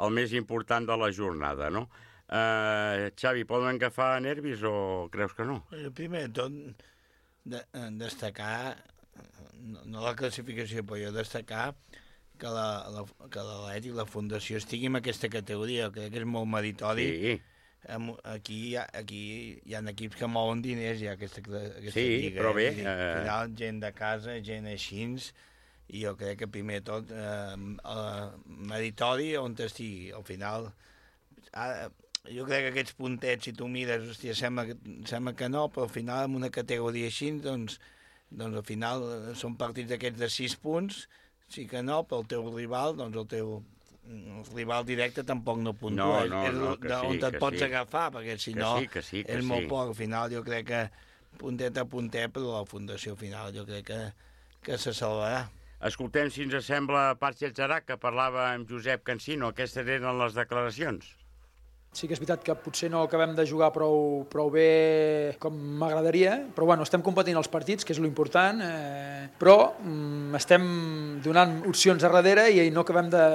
el més important de la jornada, no? Eh, Xavi, poden agafar nervis o creus que no? Primer de tot, de, destacar, no, no la classificació, però jo destacar que l'Atlètic, la, la Fundació, estigui en aquesta categoria, crec que és molt meritori. Sí. Aquí, aquí hi ha equips que mouen diners, ja, aquesta, aquesta sí, lliga. Però bé... Eh... Al final, gent de casa, gent així, i jo crec que primer de tot, eh, eh, meritori on estigui. Al final, ara, jo crec que aquests puntets, si tu mires, hòstia, sembla, sembla que no, però al final, en una categoria així, doncs, doncs al final són partits d'aquests de sis punts, sí que no, però el teu rival, doncs el teu el rival directe tampoc no puntua. No, no, és no, que on sí, et que pots sí. agafar, perquè si que no sí, que sí, que és sí. molt poc. Al final jo crec que puntet a puntet, però la Fundació final jo crec que, que se salvarà. Escoltem, si ens sembla, Parc Llàtzerac, que parlava amb Josep Cansino. Aquestes eren les declaracions. Sí que és veritat que potser no acabem de jugar prou, prou bé com m'agradaria, però bueno, estem competint els partits, que és l'important, eh, però mm, estem donant opcions a darrere i no acabem de,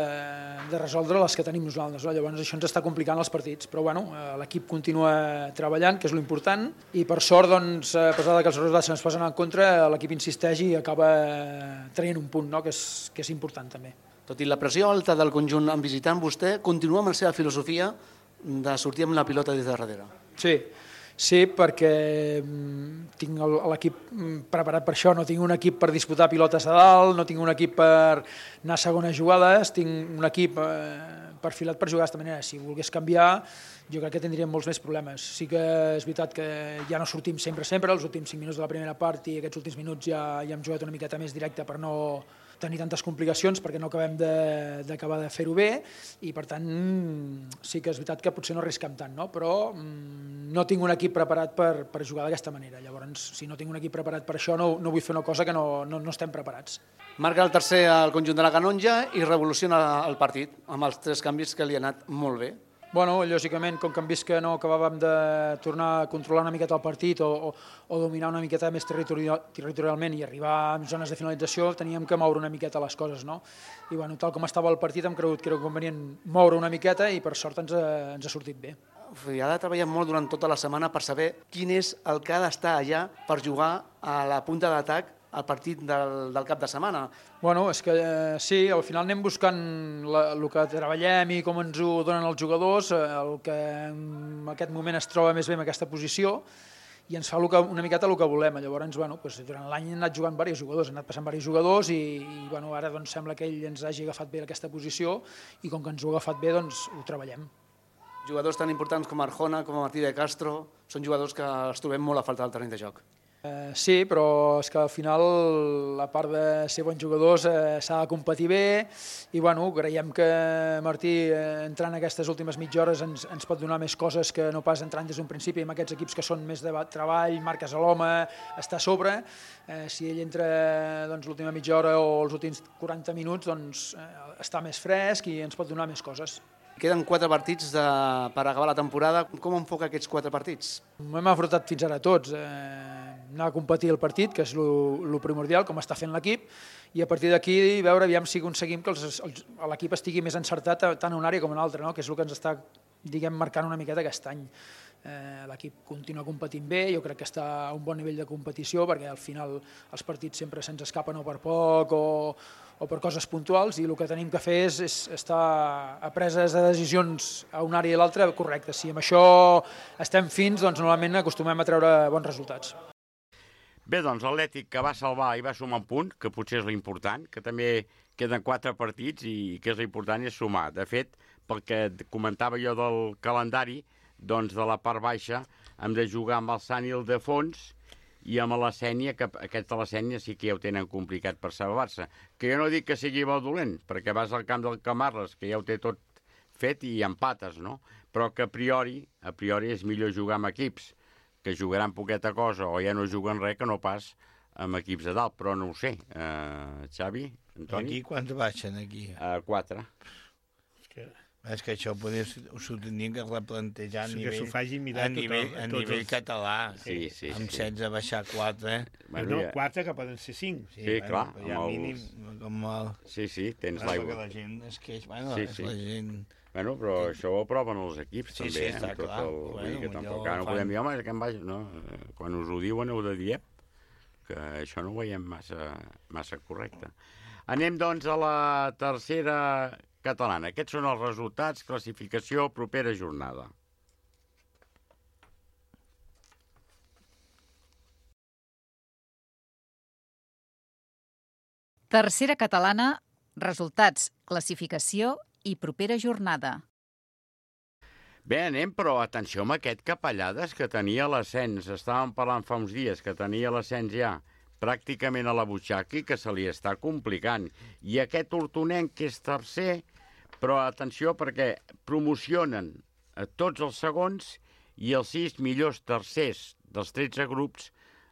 de resoldre les que tenim nosaltres. No? Llavors això ens està complicant els partits, però bueno, l'equip continua treballant, que és l'important, i per sort, doncs, a pesar que els resultats ens posen en contra, l'equip insisteix i acaba traient un punt, no? que, és, que és important també. Tot i la pressió alta del conjunt en visitant, vostè continua amb la seva filosofia de sortir amb la pilota des de darrere. Sí, sí, perquè tinc l'equip preparat per això, no tinc un equip per disputar pilotes a dalt, no tinc un equip per anar a segones jugades, tinc un equip perfilat per jugar d'aquesta manera. Si volgués canviar, jo crec que tindríem molts més problemes. Sí que és veritat que ja no sortim sempre, sempre, els últims cinc minuts de la primera part i aquests últims minuts ja, ja hem jugat una miqueta més directe per no tenir tantes complicacions, perquè no acabem d'acabar de, de fer-ho bé, i per tant sí que és veritat que potser no arrisquem tant, no? Però mm, no tinc un equip preparat per, per jugar d'aquesta manera. Llavors, si no tinc un equip preparat per això, no, no vull fer una cosa que no, no, no estem preparats. Marca el tercer al conjunt de la Canonja i revoluciona el partit, amb els tres canvis que li ha anat molt bé. Bueno, lògicament, com que hem vist que no acabàvem de tornar a controlar una miqueta el partit o, o, o dominar una miqueta més territorial, territorialment i arribar a zones de finalització, teníem que moure una miqueta les coses, no? I bueno, tal com estava el partit hem cregut que era convenient moure una miqueta i per sort ens ha, ens ha sortit bé. Ha de treballar molt durant tota la setmana per saber quin és el que ha d'estar allà per jugar a la punta d'atac al partit del, del cap de setmana. Bueno, és que eh, sí, al final anem buscant la, el que treballem i com ens ho donen els jugadors, el que en aquest moment es troba més bé en aquesta posició i ens fa que, una miqueta el que volem. Llavors, bueno, doncs, durant l'any han anat jugant diversos jugadors, han anat passant diversos jugadors i, i bueno, ara doncs, sembla que ell ens hagi agafat bé aquesta posició i com que ens ho ha agafat bé, doncs ho treballem. Jugadors tan importants com Arjona, com Martí de Castro, són jugadors que els trobem molt a falta del terreny de joc. Eh, sí, però és que al final, a part de ser bons jugadors, eh, s'ha de competir bé i bueno, creiem que Martí, eh, entrant aquestes últimes mitja hores, ens, ens pot donar més coses que no pas entrant des d'un principi amb aquests equips que són més de treball, marques a l'home, està a sobre. Eh, si ell entra doncs, l'última mitja hora o els últims quaranta minuts, doncs, eh, està més fresc i ens pot donar més coses. Queden quatre partits de, per acabar la temporada. Com enfoca aquests quatre partits? Hem afrontat fins ara tots. Eh, anar a competir el partit, que és el primordial, com està fent l'equip, i a partir d'aquí veure aviam si aconseguim que l'equip estigui més encertat tant en una àrea com en una altra, no? Que és el que ens està diguem, marcant una miqueta aquest any. Eh, l'equip continua competint bé, jo crec que està a un bon nivell de competició, perquè al final els partits sempre se'ns escapen o per poc o, o per coses puntuals, i el que tenim que fer és, és estar a preses de decisions a una àrea i l'altra correctes. Si amb això estem fins, doncs normalment acostumem a treure bons resultats. Bé, doncs l'Atlètic que va salvar i va sumar un punt, que potser és l'important, que també queden quatre partits i que és l'important és sumar. De fet, pel que comentava jo del calendari, doncs de la part baixa hem de jugar amb el Sant Ildefons i amb la Sénia, que aquests de la Sénia sí que ja ho tenen complicat per salvar-se. Que jo no dic que sigui bo dolent, perquè vas al camp del Camarles, que ja ho té tot fet i empates, no? Però que a priori, a priori és millor jugar amb equips que jugaran poqueta cosa o ja no juguen res que no pas amb equips de dalt, però no ho sé. Uh, Xavi, Antoni? Aquí quants baixen, aquí? Uh, quatre. És que... És que això poder, s'ho tindrien que replantejar a sí, nivell, a a nivell, a nivell els... català. Sí, sí, amb sí. setze baixar quatre. Bueno, no, quatre que poden ser cinc. Sí, sí bueno, clar. Ja els... mínim, com el... Sí, sí, tens bueno, l'aigua. la gent es queix, bueno, sí, és sí. la gent... Bueno, però això ho aproven els equips, sí, també, sí, eh? està Tot clar. el... Bueno, que tampoc, fan... no podem dir, home, que em vaig... No, quan us ho diuen heu de dir, que això no ho veiem massa, massa correcte. Anem, doncs, a la tercera catalana. Aquests són els resultats, classificació, propera jornada. Tercera catalana, resultats, classificació i propera jornada. Bé, anem, però atenció amb aquest Capellades que tenia l'ascens. Estàvem parlant fa uns dies que tenia l'ascens ja pràcticament a la butxaca i que se li està complicant. I aquest hortonenc que és tercer, però atenció perquè promocionen a tots els segons i els sis millors tercers dels tretze grups.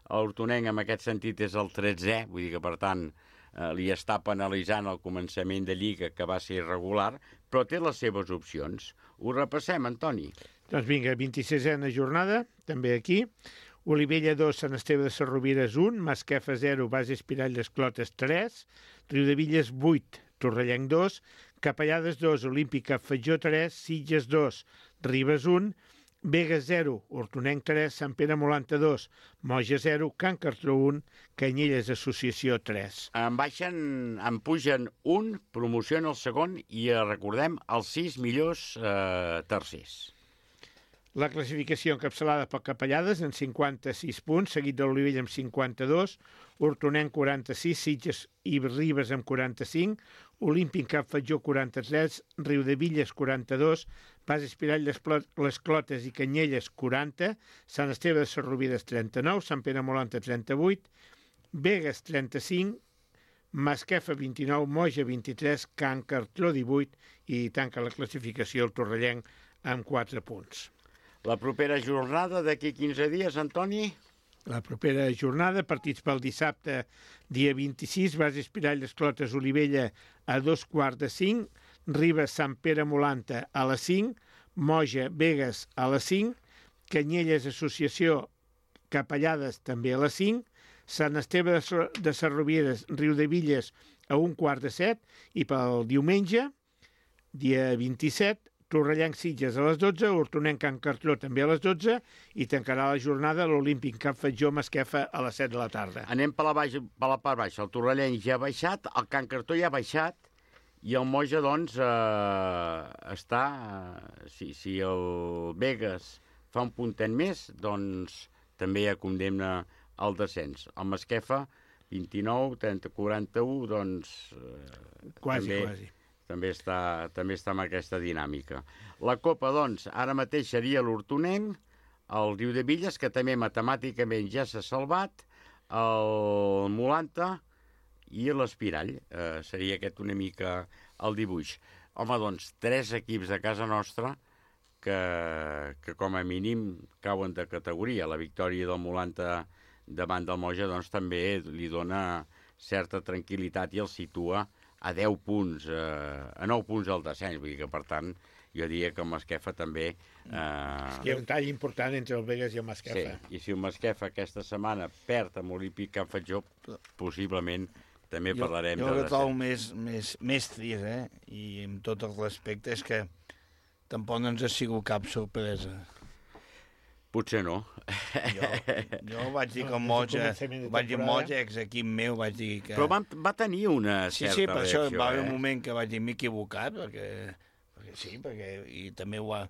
El hortonenc en aquest sentit és el tretzè, vull dir que per tant eh, li està penalitzant el començament de Lliga que va ser irregular, però té les seves opcions. Ho repassem, Antoni. Doncs vinga, vint-i-sisena jornada, també aquí. Olivella dos, Sant Esteve de Sarrovires un, Masquefa zero, Base Espirall d'Esclotes tres, Riudevilles vuit, Torrellenc dos, Capellades dos, Olímpica Fatjó tres, Sitges dos, Ribes un, Begues zero, Hortonenc tres, Sant Pere Molanta dos, Moja zero, Can Cartró un, Canyelles Associació tres. En baixen, en pugen un, promoció en el segon i eh, recordem els sis millors eh, tercers. La classificació encapçalada per Capellades en cinquanta-sis punts, seguit de l'Olivella amb cinquanta-dos, Hortonenc quaranta-sis, Sitges i Ribes amb quaranta-cinc, Olímpic Cap Fatjó quaranta-tres, Riudevilles quaranta-dos, Base Espirall les Clotes i Canyelles quaranta, Sant Esteve de Sarrovires trenta-nou, Sant Pere Molanta trenta-vuit, Begues trenta-cinc, Masquefa vint-i-nou, Moja vint-i-tres, Can Cartró divuit i tanca la classificació el Torrellenc amb quatre punts. La propera jornada d'aquí quinze dies, Antoni? La propera jornada, partits pel dissabte, dia vint-i-sis, Base Espirall d'Esclotes Olivella a dos quarts de cinc, Ribes Sant Pere Molanta a les cinc, Moja Begues a les cinc, Canyelles Associació Capellades també a les cinc, Sant Esteve de Sarrovires Riudevilles a un quart de set i pel diumenge, dia vint-i-set, Torrellenc Sitges a les dotze, Hortonenc Can Cartró també a les dotze i tancarà la jornada l'Olímpic Cap Fatjó Masquefa a les set de la tarda. Anem per la, baix, per la part baixa. El Torrellenc ja ha baixat, el Can Cartró ja ha baixat i el Moja, doncs, eh, està... Eh, si, si el Begues fa un puntet més, doncs també ja condemna el descens. El Masquefa, vint-i-nou, trenta, quaranta-u, doncs... Eh, quasi, també, quasi. També està, també està amb aquesta dinàmica. La Copa, doncs, ara mateix seria l'Hortonenc, el Riudevilles, que també matemàticament ja s'ha salvat, el Molanta i l'Espirall. Eh, seria aquest una mica el dibuix. Home, doncs, tres equips de casa nostra que, que com a mínim cauen de categoria. La victòria del Molanta davant del Moja, doncs, també li dona certa tranquil·litat i el situa a deu punts, eh, a nou punts al descens, vull dir que, per tant, jo diria que el Masquefa també... Eh... Hi ha un tall important entre el Begues i el Masquefa. Sí, i si el Masquefa aquesta setmana perd amb Olímpic Can Fatjó, possiblement també jo, parlarem jo de... Jo el trobo més, més, més trist, eh? I amb tot el respecte és que tampoc no ens ha sigut cap sorpresa. Potser no. Jo, jo vaig dir que el Moja, vaig dir Moja, ex-equip meu, vaig dir que... Però va, va tenir una sí, certa sí, per reacció, això va haver eh? un moment que vaig dir m'he equivocat, perquè, perquè sí, perquè i també ho ha...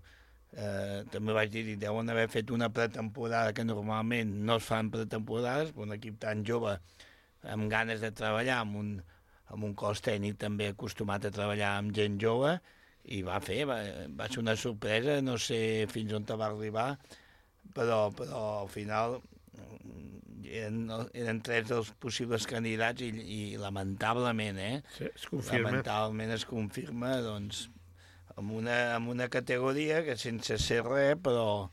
Eh, també vaig dir, deuen haver fet una pretemporada que normalment no es fan pretemporades, un equip tan jove amb ganes de treballar, amb un, amb un cos tècnic també acostumat a treballar amb gent jove, i va fer, va, va ser una sorpresa, no sé fins on te va arribar, però, però al final eren, eren tres dels possibles candidats i, i lamentablement, eh? Sí, es confirma. Lamentablement es confirma, doncs, amb una, amb una categoria que sense ser res, però,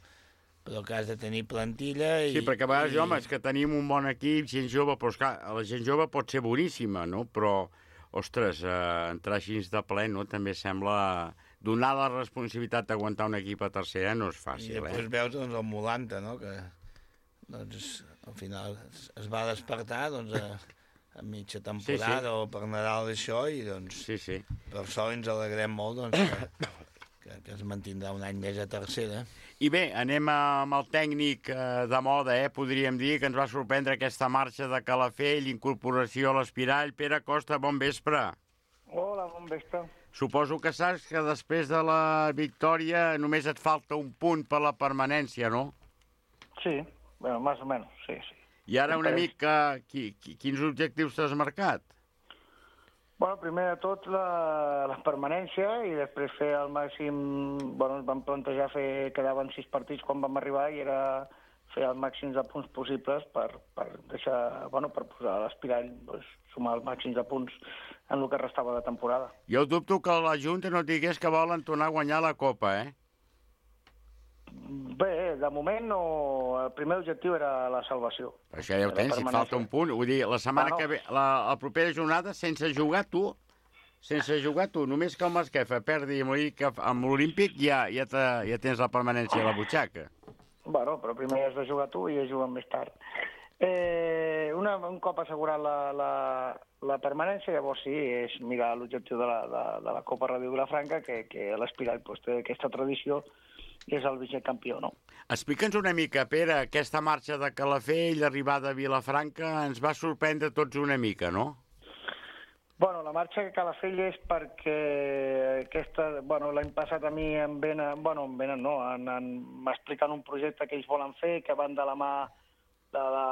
però que has de tenir plantilla. I, sí, perquè a vegades, i... home, és que tenim un bon equip, gent jove, però esclar, la gent jove pot ser boníssima, no? Però, ostres, eh, entrar així de ple, no? També sembla... Donar la responsabilitat d'aguantar un equip a tercera no és fàcil, I després eh? veus doncs, el Molanta, no? Que doncs, al final es, es va despertar doncs, a, a mitja temporada sí, sí. o per Nadal això, i doncs sí, sí. per això ens alegrem molt doncs, que, que, que es mantindrà un any més a tercera. I bé, anem amb el tècnic eh, de moda, eh? Podríem dir que ens va sorprendre aquesta marxa de Calafell, incorporació a l'Espirall. Pere Costa, bon vespre. Hola, bon vespre. Suposo que saps que després de la victòria només et falta un punt per la permanència, no? Sí, bueno, más o menos, sí, sí. I ara una mica, qui, qui, quins objectius t'has marcat? Bueno, primer de tot la, la permanència i després fer el màxim... Bueno, ens vam plantejar fer... Quedaven sis partits quan vam arribar i era fer el màxim de punts possibles per, per deixar... Bueno, per posar a l'Espirall, doncs, sumar els màxims de punts en el que restava de temporada. Jo dubto que la Junta no et digués que volen tornar a guanyar la Copa, eh? Bé, de moment no... El primer objectiu era la salvació. Això ja ho tens, si et falta un punt. Vull dir, la setmana bueno. que ve, la, la propera jornada, sense jugar tu, sense jugar tu, només que el Masquefa perdi amb l'Olímpic, ja, ja, te, ja tens la permanència a la butxaca. Bueno, però primer has de jugar tu i ja juguen més tard. Eh, una, un cop assegurat la, la, la permanència, llavors sí, és mirar l'objectiu de, la, de, de la Copa Ràdio Vilafranca, que, que l'Espirall pues, té aquesta tradició i és el vicecampió, no? Explica'ns una mica, Pere, aquesta marxa de Calafell, l'arribada a Vilafranca, ens va sorprendre tots una mica, no? Bueno, la marxa de Calafell és perquè aquesta, bueno, l'any passat a mi em venen, bueno, em venen no, m'expliquen un projecte que ells volen fer, que van de la mà de, la,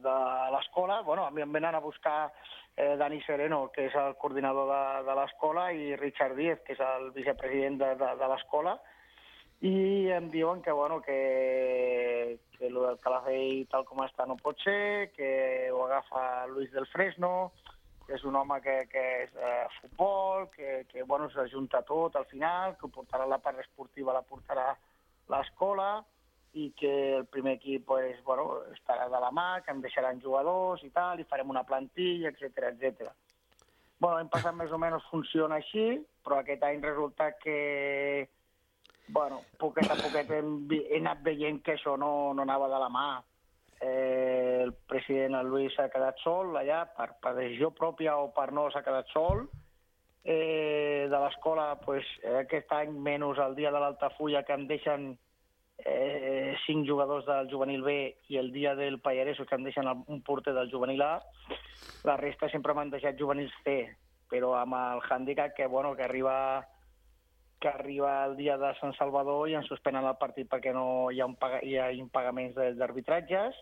de l'escola. Bueno, a mi em venen a buscar eh, Dani Sereno, que és el coordinador de, de l'escola, i Richard Díez, que és el vicepresident de, de, de l'escola, i em diuen que, bueno, que, que el del Calafell tal com està no pot ser, que ho agafa Luis del Fresno, que és un home que, que és eh, futbol, que, que bueno, s'ajunta tot al final, que portarà la part esportiva, la portarà l'escola, i que el primer equip pues, bueno, estarà de la mà, que em deixaran jugadors i tal, i farem una plantilla, etcètera, etcètera. Bueno, l'any passat més o menys funciona així, però aquest any resulta que, bueno, poquet a poquet hem, he anat veient que això no, no anava de la mà. Eh, el president, el Luis, s'ha quedat sol allà, per, per decisió pròpia o per no, s'ha quedat sol. Eh, de l'escola, pues, aquest any, menys el dia de l'Altafulla, que em deixen eh, cinc jugadors del juvenil B, i el dia del Pallareso, que em deixen un porter del juvenil A, la resta sempre m'han deixat juvenils C, però amb el hàndicap que, bueno, que arriba... que arriba el dia de Sant Salvador i ens suspenen el partit perquè no hi ha, un paga, hi ha impagaments d'arbitratges.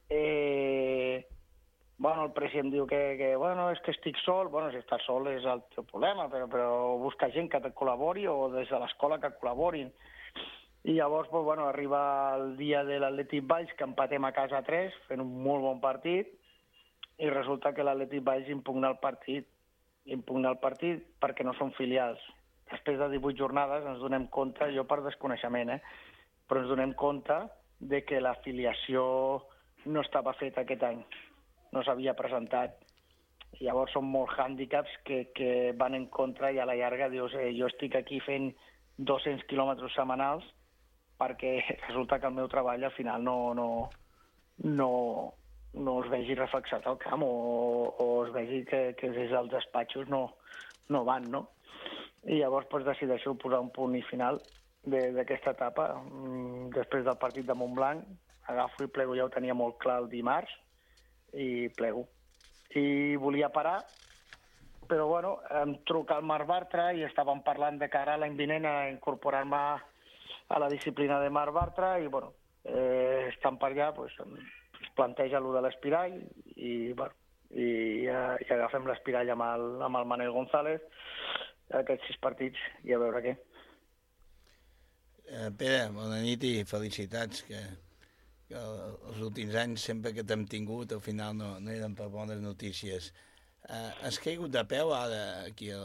Eh, bueno, el president diu que, que bueno, és que estic sol. Bueno, si estàs sol és el teu problema, però, però busca gent que te col·labori o des de l'escola que col·laborin. I llavors, pues, bueno, arriba el dia de l'Atlètic Valls, que empatem a casa a tres, fent un molt bon partit, i resulta que l'Atlètic Valls impugna el partit. Impugna el partit perquè no són filials. Després de divuit jornades ens donem compte, jo per desconeixement, eh, però ens donem compte de que l'afiliació no estava feta aquest any, no s'havia presentat. I llavors són molts hàndicaps que, que van en contra i a la llarga dius, eh, jo estic aquí fent dos-cents quilòmetres setmanals perquè resulta que el meu treball al final no, no, no, no es vegi reflexat al camp o, o es vegi que, que des dels despatxos no, no van, no? I llavors pues, decideixo posar un punt i final d'aquesta etapa. Després del partit de Montblanc, agafo i plego, ja ho tenia molt clar el dimarts, i plego. I volia parar, però bueno, em truca el Marc Bartra i estàvem parlant de cara a l'any vinent a incorporar-me a la disciplina de Marc Bartra i, bueno, eh, estan per allà, pues, es planteja allò de l'espirall i, bueno, i, eh, i agafem l'espirall amb el, amb el Manel González aquests sis partits i a veure què. Eh, Pere, bona nit i felicitats, que, que els últims anys, sempre que t'hem tingut, al final no, no eren per bones notícies. Eh, has caigut de peu ara aquí a,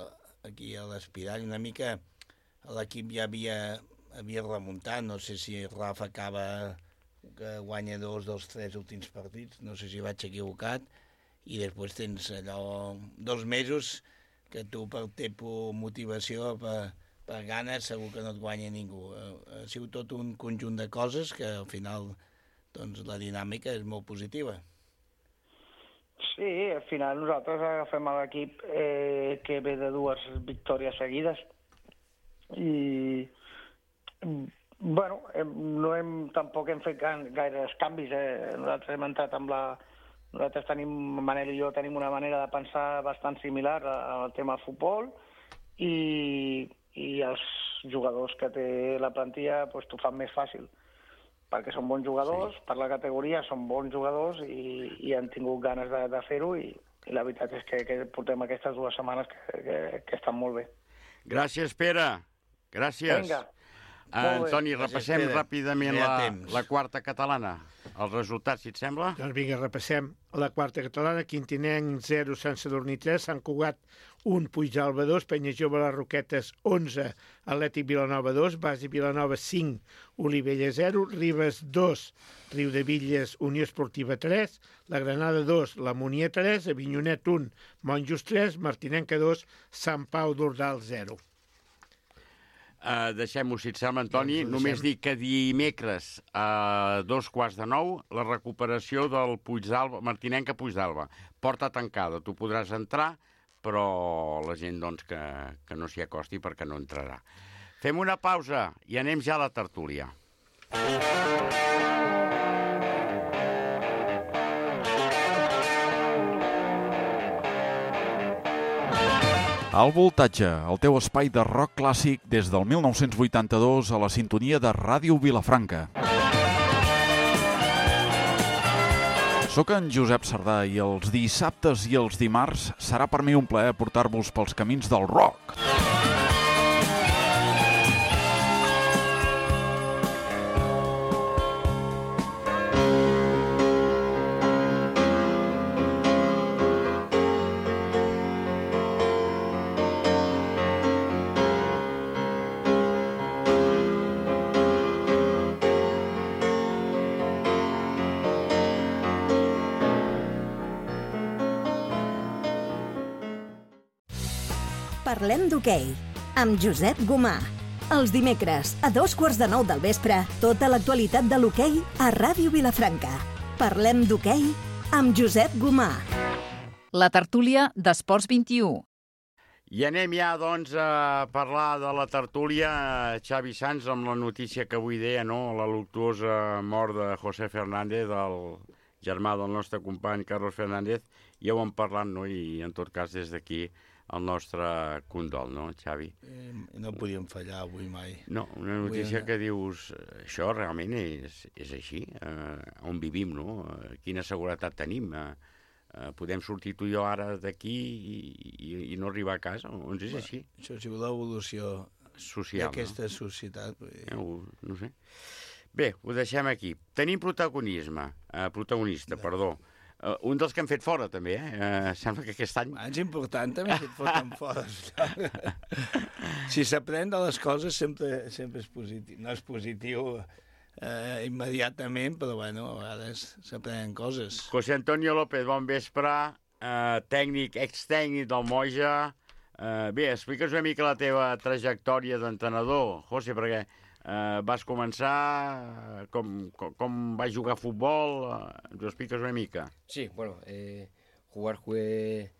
aquí a l'Espirall, una mica l'equip ja havia, havia remuntat, no sé si Rafa acaba que guanya dos dels tres últims partits, no sé si vaig equivocat, i després tens allò dos mesos que tu per teva motivació, per, per ganes, segur que no et guanya ningú. Ha sigut tot un conjunt de coses que al final doncs, la dinàmica és molt positiva. Sí, al final nosaltres agafem l'equip eh, que ve de dues victòries seguides i bueno, hem, no hem, tampoc hem fet gaires canvis. Eh? Nosaltres hem entrat amb la... Nosaltres tenim, Manel i jo tenim una manera de pensar bastant similar al tema futbol i, i els jugadors que té la plantilla pues, t'ho fan més fàcil, perquè són bons jugadors, sí. Per la categoria són bons jugadors i, i han tingut ganes de, de fer-ho i, i la veritat és que, que portem aquestes dues setmanes que, que, que estan molt bé. Gràcies, Pere. Gràcies. Vinga. Uh, Antoni, repassem Gràcies, ràpidament ja la, temps. la quarta catalana. Els resultats, si et sembla? Doncs vinga, repassem la quarta catalana. Quintinenc zero, Sant Sadurní tres, Sant Cugat un, Puigdàlber dos, Penyajove les Roquetes onze, Atlètic Vilanova dos, Basi Vilanova cinc, Olivella zero, Ribes dos, Riudebitlles Unió Esportiva tres, la Granada dos, la Munier tres, Avinyonet un, Monjos tres, Martinenca dos, Sant Pau d'Ordal zero. Uh, Deixem-ho, si et sembla, Antoni. Doncs només dic que dimecres a dos quarts de nou la recuperació del Puigdàlber, Martinenca Puigdàlber. Porta tancada, tu podràs entrar, però la gent doncs, que, que no s'hi acosti perquè no entrarà. Fem una pausa i anem ja a la tertúlia. Al Voltatge, el teu espai de rock clàssic des del mil nou-cents vuitanta-dos a la sintonia de Ràdio Vilafranca. Soc en Josep Sardà i els dissabtes i els dimarts serà per mi un plaer portar-vos pels camins del rock. Parlem d'hoquei, amb Josep Gomà. Els dimecres, a dos quarts de nou del vespre, tota l'actualitat de l'hoquei a Ràdio Vilafranca. Parlem d'hoquei amb Josep Gomà. La tertúlia d'Esports vint-i-u. I anem ja, doncs, a parlar de la tertúlia. Xavi Sans, amb la notícia que avui deia, no?, la luctuosa mort de José Fernández, el germà del nostre company Carlos Fernández. Ja ho hem parlat, no?, i en tot cas des d'aquí el nostre condol, no, Xavi? Eh, no podíem fallar avui mai. No, una notícia que dius, això realment és, és així, eh, on vivim, no? Eh, quina seguretat tenim? Eh, eh, podem sortir tu i jo ara d'aquí i, i, i no arribar a casa? Doncs és Bé, així. Això ha sigut l'evolució social, d'aquesta no? societat. Vull dir. Eh, ho, no sé. Bé, ho deixem aquí. Tenim protagonisme, eh, protagonista, perdó. Uh, un dels que han fet fora, també, eh? Uh, sembla que aquest any... És important, també, que et foten fora. Si s'aprèn de les coses, sempre, sempre és positiu. No és positiu eh, immediatament, però, bueno, a vegades s'aprenen coses. José Antonio López, bon vespre, uh, tècnic, extècnic del Moja. Uh, bé, explica'ns una mica la teva trajectòria d'entrenador, José, perquè Uh, vas començar, com, com, com vas jugar a futbol, uh, ens ho expliques una mica. Sí, bueno, eh, jugar jugué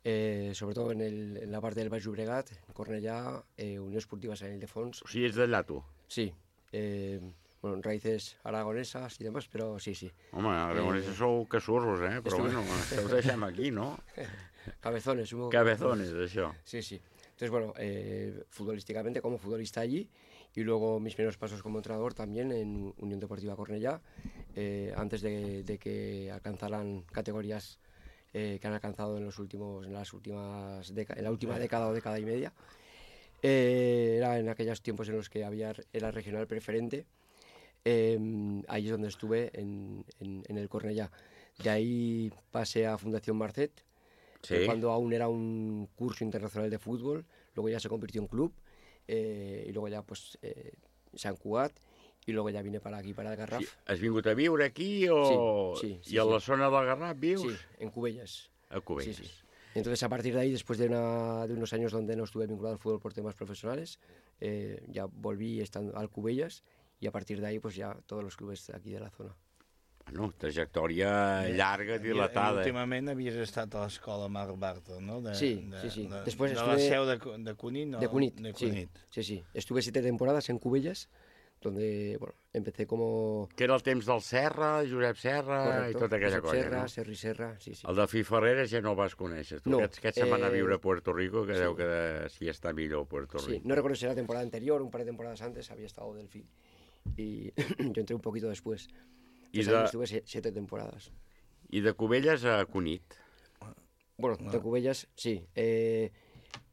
eh, sobre todo en, el, en la part del Baix Llobregat, en Cornellà, eh, Unió Esportiva Sant Ildefons. O sigui, ets d'allà, tu? Sí, eh, bueno, raíces aragonesas y demás, pero sí, sí. Home, aragoneses eh, sou casurros, eh? Però bueno, això ho deixem aquí, no? Cabezones. Hubo Cabezones, això. Sí, sí. Entonces, bueno, eh, futbolísticamente como futbolista allí, y luego mis primeros pasos como entrenador también en Unión Deportiva Cornellá, eh, antes de, de que alcanzaran categorías eh, que han alcanzado en, los últimos, en, las últimas en la última década o década y media. Eh, era en aquellos tiempos en los que había, era regional preferente. Eh, ahí es donde estuve en, en, en el Cornellá. De ahí pasé a Fundación Marcet, sí. eh, cuando aún era un curso internacional de fútbol, luego ya se convirtió en club, eh, i luego ja pues, eh, Sant Cugat, i luego ja vine per aquí, per al Garraf. Sí. Has vingut a viure aquí o... Sí, sí, sí. I a sí. la zona del Garraf vius? Sí, en Cubelles. A Cubelles. Sí, sí. Entonces, a partir de ahí, después de, una, de unos años donde no estuve vinculado al fútbol por temas profesionales, eh, ya volví estando al Cubelles y a partir de ahí, pues ya todos los clubes aquí de la zona. Bueno, trajectòria llarga, dilatada. I últimament havies estat a l'escola Marc Bartra, ¿no? De, sí, de, sí, sí. De, Después de estuve... la seu de, de Cunit, ¿no? De Cunit, de Cunit. Sí, sí, sí. Estuve siete temporadas en Cubelles, donde, bueno, empecé como... Que era el temps del Serra, Josep Serra, Correcto. i tota aquella Josep colla, Serra, no? Serri Serra, sí, sí. El de Fi Ferreres ja no el vas conèixer. Tu, no, aquest, aquest se'n va anar a eh, viure a Puerto Rico, que sí. deu que de, si està millor a Puerto Rico. Sí, no recuerdo si era la temporada anterior, un par de temporadas antes había estado del Fi. Y yo entré un poquito después. I de... de... Estuve siete temporadas. I de Cubelles a Cunit. Bueno, de Cubelles, sí. Eh,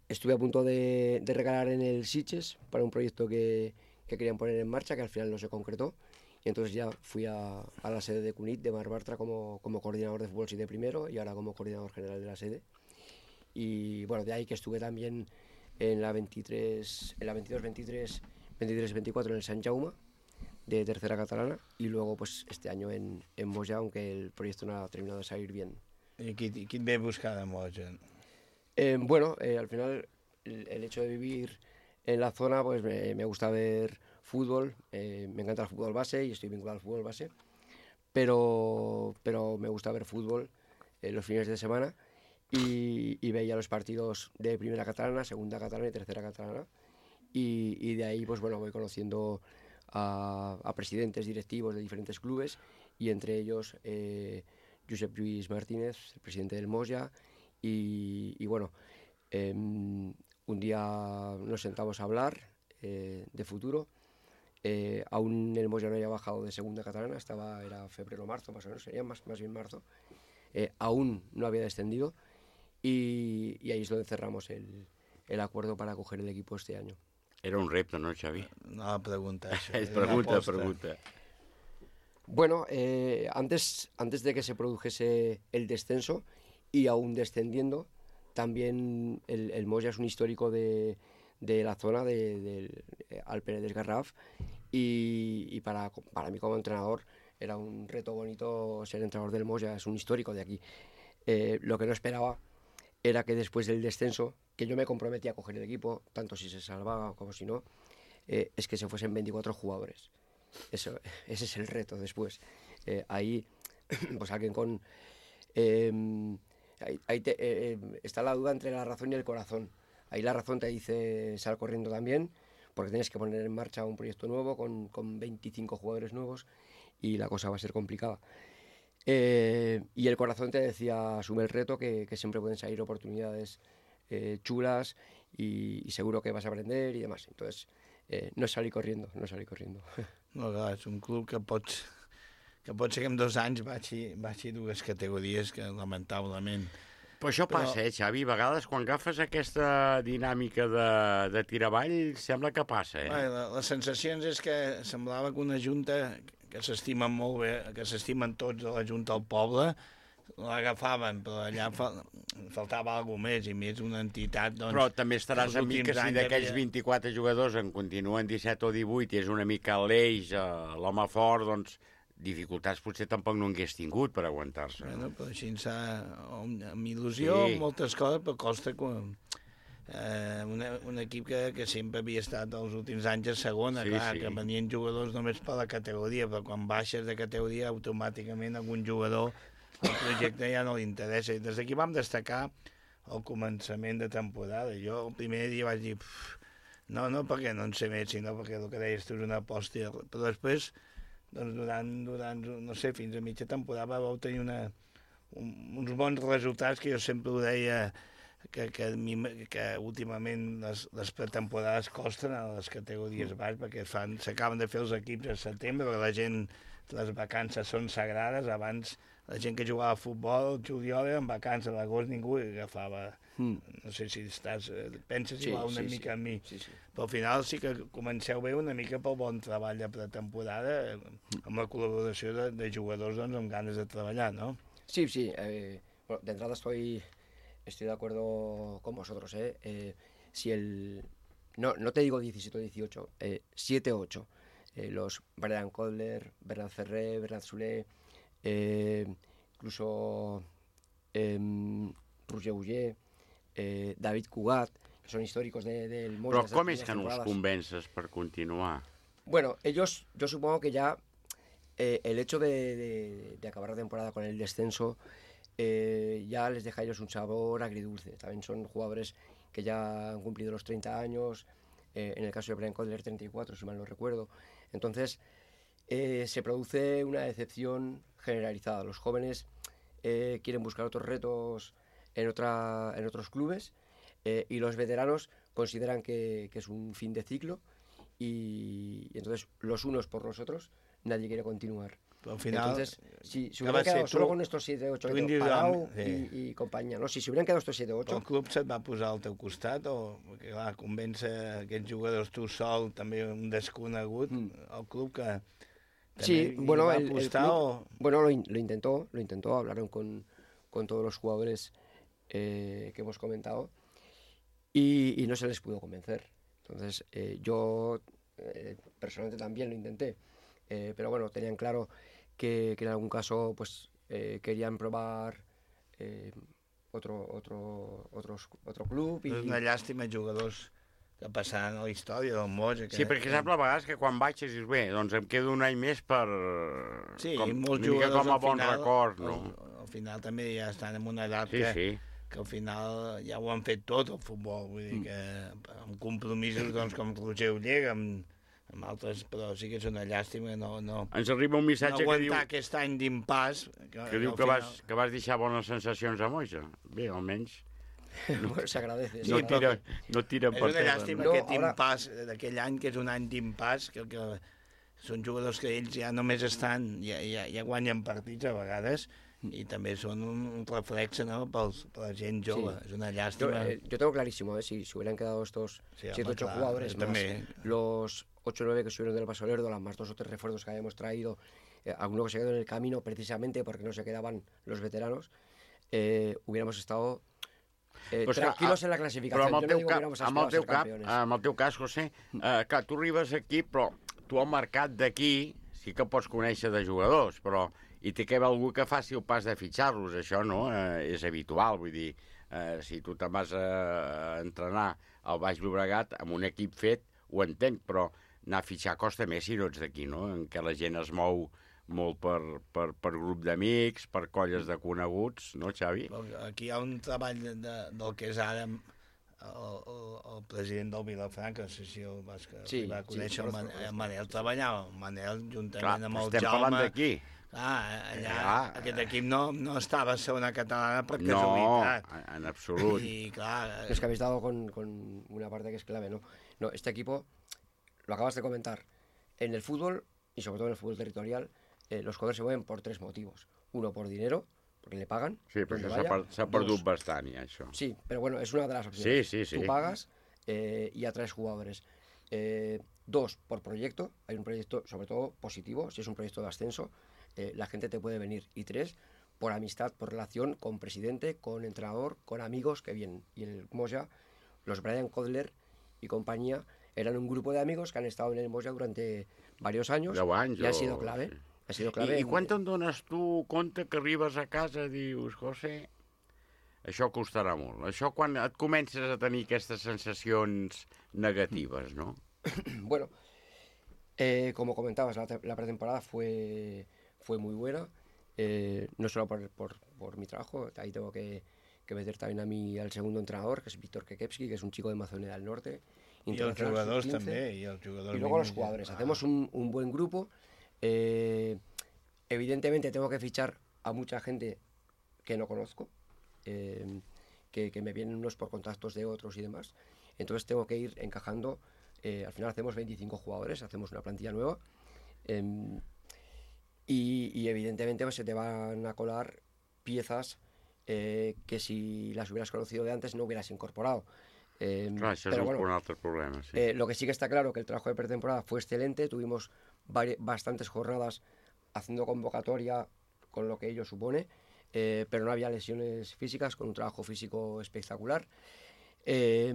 estuve a punto de, de regalar en el Sitges para un proyecto que, que querían poner en marcha, que al final no se concretó. Y entonces ya fui a, a la sede de Cunit, de Marc Bartra, como, como coordinador de fútbol siete primero y ahora como coordinador general de la sede. Y bueno, de ahí que estuve también en la veintitrés, en la veintidós veintitrés, veintitrés veinticuatro en el Sant Jaume, de tercera catalana, y luego pues este año en, en Moja, aunque el proyecto no ha terminado de salir bien. ¿Y qui, qui et ve a buscar de Moja? Eh, bueno, eh, al final el, el hecho de vivir en la zona, pues me, me gusta ver fútbol, eh, me encanta el fútbol base y estoy vinculado al fútbol base, pero, pero me gusta ver fútbol eh, los fines de semana y, y veía los partidos de primera catalana, segunda catalana y tercera catalana, y, y de ahí pues bueno, voy conociendo A, a presidentes directivos de diferentes clubes y entre ellos eh, Josep Lluís Martínez, el presidente del Moja, y, y bueno, eh, un día nos sentamos a hablar eh, de futuro. Eh, aún el Moja no había bajado de segunda catalana, estaba, era febrero o marzo más o menos, sería más, más bien marzo. Eh, aún no había descendido y, y ahí es donde cerramos el, el acuerdo para coger el equipo este año. Era un repte, ¿no, Xavi? No, pregunta això. Es pregunta, pregunta. Bueno, eh, antes, antes de que se produjese el descenso y aún descendiendo, también el, el Moja es un histórico de, de la zona del de, de Alperedes Garraf y, y para, para mí como entrenador era un reto bonito ser entrenador del Moja, es un histórico de aquí. Eh, lo que no esperaba era que después del descenso, que yo me comprometí a coger el equipo, tanto si se salvaba como si no, eh, es que se fuesen veinticuatro jugadores. Eso, ese es el reto después. Eh, ahí, pues alguien con... Eh, ahí, ahí te, eh, está la duda entre la razón y el corazón. Ahí la razón te dice sal corriendo también, porque tienes que poner en marcha un proyecto nuevo con, con veinticinco jugadores nuevos y la cosa va a ser complicada. Eh, y el corazón te decía, asume el reto, que, que siempre pueden salir oportunidades eh, chulas y, y seguro que vas a aprender y demás. Entonces, eh, no salí corriendo, no salí corriendo. No, clar, és un club que pots, que pot ser que en dos anys baixi, baixi dues categories que lamentablement... Però això passa, Però... eh, Xavi? A vegades quan agafes aquesta dinàmica de, de tirar avall, sembla que passa, eh? Bé, la, les sensacions és que semblava que una junta que s'estimen molt bé, que s'estimen tots de la Junta al poble, l'agafaven, però allà fal faltava alguna més, i més una entitat... Doncs, però també estaràs amb mi que si d'aquells havia... vint-i-quatre jugadors en continuen disset o divuit i és una mica l'eix, l'home fort, doncs dificultats potser tampoc no hagués tingut per aguantar-se. Bueno, però així amb il·lusió, sí. Moltes coses, però costa quan... Eh, una, un equip que, que sempre havia estat els últims anys a segona, sí, clar, sí. Que venien jugadors només per la categoria, però quan baixes de categoria automàticament algun jugador el projecte ja no li interessa. I des d'aquí vam destacar el començament de temporada. Jo el primer dia vaig dir no, no perquè no en sé més, sinó perquè el que deies tu és una aposta. Però després, doncs, durant, durant no sé, fins a mitja temporada vau tenir una, un, uns bons resultats que jo sempre ho deia. que, que, que últimament les, les pretemporades costen a les categories baix perquè fan, s'acaben de fer els equips a setembre, perquè la gent, les vacances són sagrades. Abans la gent que jugava a futbol, el juliol era en vacances, a l'agost ningú agafava... Mm. No sé si estàs, penses sí, igual una sí, mica sí. en mi, sí, sí. Però al final sí que comenceu bé una mica pel bon treball de pretemporada, amb la col·laboració de, de jugadors doncs, amb ganes de treballar, ¿no? Sí, sí. Eh, bueno, de entrada estoy, estoy de acuerdo con vosotros. ¿eh? Eh, si el, no, no te digo diecisiete o dieciocho, eh, siete o ocho. Eh, los Brian Kodler, Bernard Ferré, Bernard Soulé, eh, incluso eh, Roger Uller, eh, David Cugat, que son históricos de, del Moya. Però com és que no els convences per continuar? Bueno, ellos, yo supongo que ya eh, el hecho de, de, de acabar la temporada con el descenso eh, ya les deja a ellos un sabor agridulce. También son jugadores que ya han cumplido los treinta años, eh, en el caso de Brian Kodler treinta y cuatro, si mal no recuerdo. Entonces, eh, se produce una decepción generalizada. Los jóvenes eh, quieren buscar otros retos en, otra, en otros clubes eh, y los veteranos consideran que, que es un fin de ciclo y, y entonces los unos por los otros nadie quiere continuar. Pero al final, entonces, si se hubieran quedado solo con estos siete ocho que Palau sí. i, i companyia, no? Si s'haurien quedat estos siete ocho... El club se't va posar al teu costat o, perquè clar, convèncer aquests jugadors tu sol, també un desconegut, mm. el club que sí, bueno, va el, apostar el club, o... bueno, lo, lo intentó, lo intentó, hablaron con, con todos los jugadores eh, que hemos comentado y, y no se les pudo convencer. Entonces, eh, yo eh, personalmente también lo intenté, eh, pero bueno, tenían claro que, que en algún caso pues eh, querían probar eh, otro, otro, otros, otro club. I... És una llàstima jugadors que passaran a la història del Moja. Que... Sí, perquè sap a vegades que quan baixes dius, bé, doncs em quedo un any més per... Sí, com, i molts una mica jugadors com a al bon final, record, no? Al, al final també ja estan en una edat sí, que, sí. que al final ja ho han fet tot, el futbol. Vull dir que amb compromisos doncs, com Roger Uller, amb, amb altres, però sí que és una llàstima no, no, ens arriba un missatge no que diu... aquest any d'impàs. Que, que diu que, final... vas, que vas deixar bones sensacions a Moja. Bé, almenys... No, se agradece. No, tira, no tira per terra. És una llàstima no, aquest ara... impàs d'aquell any, que és un any d'impàs, que, que són jugadors que ells ja només estan, ja, ja, ja guanyen partits a vegades, i també són un, un reflex, ¿no?, pels, per la gent jove. Sí. És una llàstima. Yo, eh, yo tengo clarísimo, ¿eh? si, si hubieran quedado estos sí, siete ocho jugadores más, también. Los ocho o nueve que subieron del Paso Lerdo, las más dos o tres refuerzos que habíamos traído, eh, algunos que se quedaron en el camino precisamente porque no se quedaban los veteranos, eh, hubiéramos estado eh, pues tranquilos que, en la clasificación. Però amb el teu, no cap, amb el teu cap, amb el teu cas, José, eh, clar, tu arribes aquí, però tu al mercat d'aquí sí que pots conèixer de jugadors, però i té que haver algú que faci el pas de fitxar-los, això no eh, és habitual, vull dir, eh, si tu te'n vas a entrenar al Baix Llobregat amb un equip fet, ho entenc, però anar a fitxar costa més si no ets d'aquí, no?, en què la gent es mou molt per, per, per grup d'amics, per colles de coneguts, no, Xavi? Aquí hi ha un treball de, de, del que és ara el, el, el president del Vilafranca, no sé si el vas, sí, va conèixer, sí, el, Man, el Manel treballava, el Manel juntament clar, amb el estem Jaume... parlant d'aquí. Ah, allà, ah, aquest equip no, no estava a segona catalana per no, casualitat. No, en absolut. Y claro... Es que habéis dado con, con una parte que es clave, ¿no? No, este equipo, lo acabas de comentar, en el fútbol, y sobre todo en el fútbol territorial, eh, los jugadores se mueven por tres motivos. Uno, por dinero, porque le pagan. Sí, perquè s'ha perdut bastant, ja, això. Sí, pero bueno, es una de las opciones. Sí, sí, sí. Tú pagas eh, y atraes jugadores. Eh, dos, por proyecto. Hay un proyecto, sobre todo, positivo. Si es un proyecto de ascenso, eh, la gente te puede venir. Y tres, por amistad, por relación con presidente, con entrenador, con amigos que vienen. Y el Moja, los Brian Kodler y compañía, eran un grupo de amigos que han estado en el Moja durante varios años. deu anys, y ha sido clave. Sí. Ha sido clave. I, I quan te'n dones tu compte que arribes a casa i dius, José, això costarà molt. Això quan et comences a tenir aquestes sensacions negatives, ¿no? Bueno, eh, como comentabas, la, la pretemporada fue, fue muy buena, eh, no solo por, por, por mi trabajo, ahí tengo que, que meter también a mí al segundo entrenador, que es Víctor Kekepski, que es un chico de Macedonia del Norte. Y los jugadores también. Y, el y luego los jugadores. Ah. Hacemos un, un buen grupo. Eh, evidentemente tengo que fichar a mucha gente que no conozco, eh, que, que me vienen unos por contactos de otros y demás. Entonces tengo que ir encajando. Eh, al final hacemos veinticinco jugadores, hacemos una plantilla nueva. Eh, y, y evidentemente pues, se te van a colar piezas eh, que si las hubieras conocido de antes no hubieras incorporado. Eh, Clar, això pero és bueno, un altre problema, sí. eh, lo que sí que está claro que el trabajo de pretemporada fue excelente, tuvimos vari- bastantes jornadas haciendo convocatoria con lo que ello supone, eh, pero no había lesiones físicas, con un trabajo físico espectacular. Eh,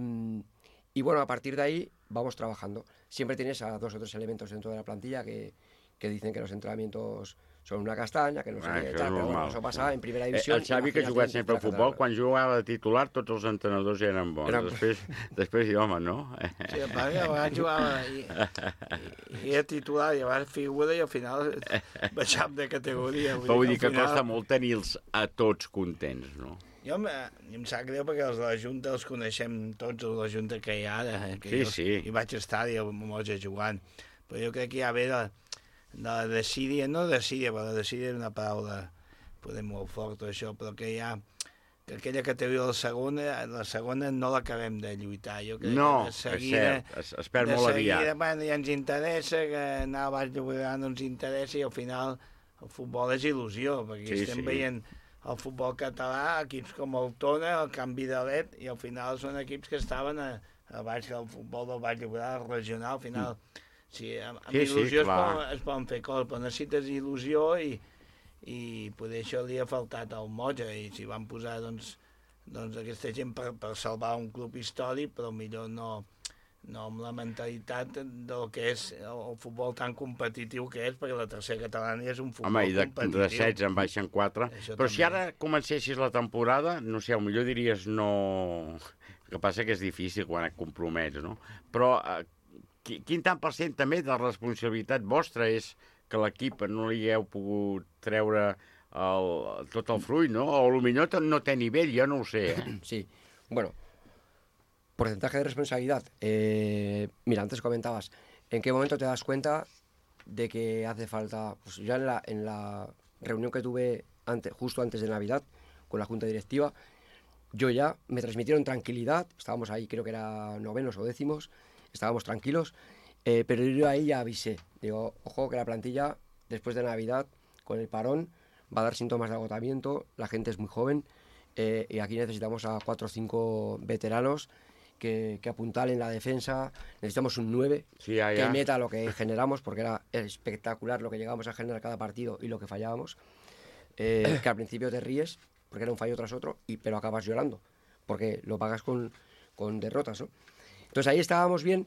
y bueno, a partir de ahí vamos trabajando. Siempre tienes a dos o tres elementos dentro de la plantilla que, que dicen que los entrenamientos son una castaña, que no sé Ah, què, això tal, és però bueno, normal. això passa en primera divisió. Eh, el Xavi, que ha jugat sempre al futbol, quan jugava de titular, tots els entrenadors eren bons. Eren- Després, després diu, home, no? Sí, el pare, a vegades jugava i, i, i era titular, i a vegades figura, i al final baixàvem de categoria. Però vull dir que al final- costa molt tenir-los a tots contents, no? Jo em, em sap greu perquè els de la Junta els coneixem tots, els de la Junta que hi ha ara. Eh, que Sí, jo, sí. Hi vaig estar i el Moja jugant. Però jo crec que hi ha bé de, de la desídia, no desídia, però la desídia és una paraula podem molt fort, això, però que hi ha que aquella categoria de la segona, la segona no l'acabem de lluitar. Jo crec No, que de és seguida, cert, es, es perd de molt seguida, aviat. Bueno, ja ens interessa, que anar a Baix Llobregat no ens interessa, i al final el futbol és il·lusió, perquè Sí, estem sí. veient el futbol català, equips com el Tona, el Canvi de L E D, i al final són equips que estaven a, a baix del futbol del Baix Llobregat regional. Al final, sí, amb, amb Sí, sí, il·lusió es, clar. poden, es poden fer coses, però necessites il·lusió i, i poder això li ha faltat al Moja, i s'hi van posar doncs, doncs aquesta gent per, per salvar un club històric, però millor no, no amb la mentalitat del que és el, el futbol tan competitiu que és, perquè la tercera catalana ja és un futbol Home, i de, competitiu. de setze en baixen quatre. Això Però si també. ara comencessis la temporada, no sé, millor diries no... El que passa que és difícil quan et compromets, no? Però eh, qui- quin tant per cent també de la responsabilitat vostra és que l'equip no li heu pogut treure el, tot el fruit, no? O potser no té nivell, jo no ho sé, eh? Sí, bueno, porcentaje de responsabilidad. Eh, mira, antes comentabas, ¿en qué momento te das cuenta de que hace falta? Pues ya en la, en la reunión que tuve antes, justo antes de Navidad con la Junta Directiva, yo ya me transmitieron tranquilidad, estábamos ahí, creo que era novenos o décimos, estábamos tranquilos, eh, pero yo ahí ya avisé, digo, ojo que la plantilla después de Navidad, con el parón, va a dar síntomas de agotamiento, la gente es muy joven, eh, y aquí necesitamos a cuatro o cinco veteranos que, que apuntalen la defensa, necesitamos un nueve Sí, ya, que ya. meta lo que generamos, porque era espectacular lo que llegábamos a generar cada partido y lo que fallábamos, eh, que al principio te ríes, porque era un fallo tras otro, y, pero acabas llorando, porque lo pagas con, con derrotas, ¿no? Entonces ahí estábamos bien,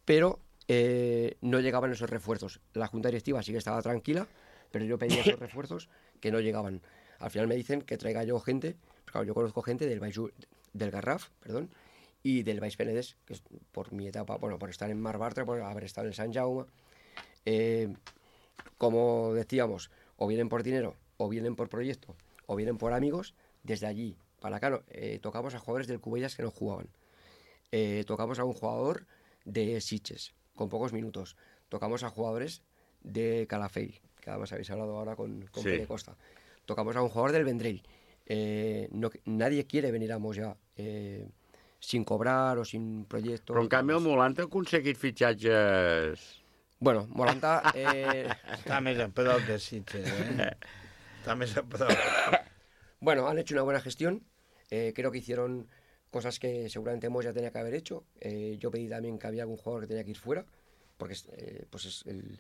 pero eh, no llegaban esos refuerzos. La Junta Directiva sí que estaba tranquila, pero yo pedía esos refuerzos que no llegaban. Al final me dicen que traiga yo gente, pues claro, yo conozco gente del, Baix- del Garraf, perdón, y del Baix Penedès, que es por mi etapa, bueno, por estar en Mar Bartra, por haber estado en Sant Jaume. Eh, como decíamos, o vienen por dinero, o vienen por proyecto, o vienen por amigos. Desde allí para acá no, eh, tocamos a jugadores del Cubellas que no jugaban. Eh, tocamos a un jugador de Sitges, con pocos minutos. Tocamos a jugadores de Calafell, que además habéis hablado ahora con, con Sí. Pere Costa. Tocamos a un jugador del Vendrell. Eh, no, nadie quiere venir a Moja eh, sin cobrar o sin proyecto. Però en canvi el Molanta ha aconseguit fitxatges... Bueno, Molanta... Eh... Està més a prop de Sitges, eh? Está més a prop. Bueno, han hecho una buena gestión. Eh, creo que hicieron cosas que seguramente Moja tenía que haber hecho. Eh, yo pedí también que había algún jugador que tenía que ir fuera, porque eh, pues es el...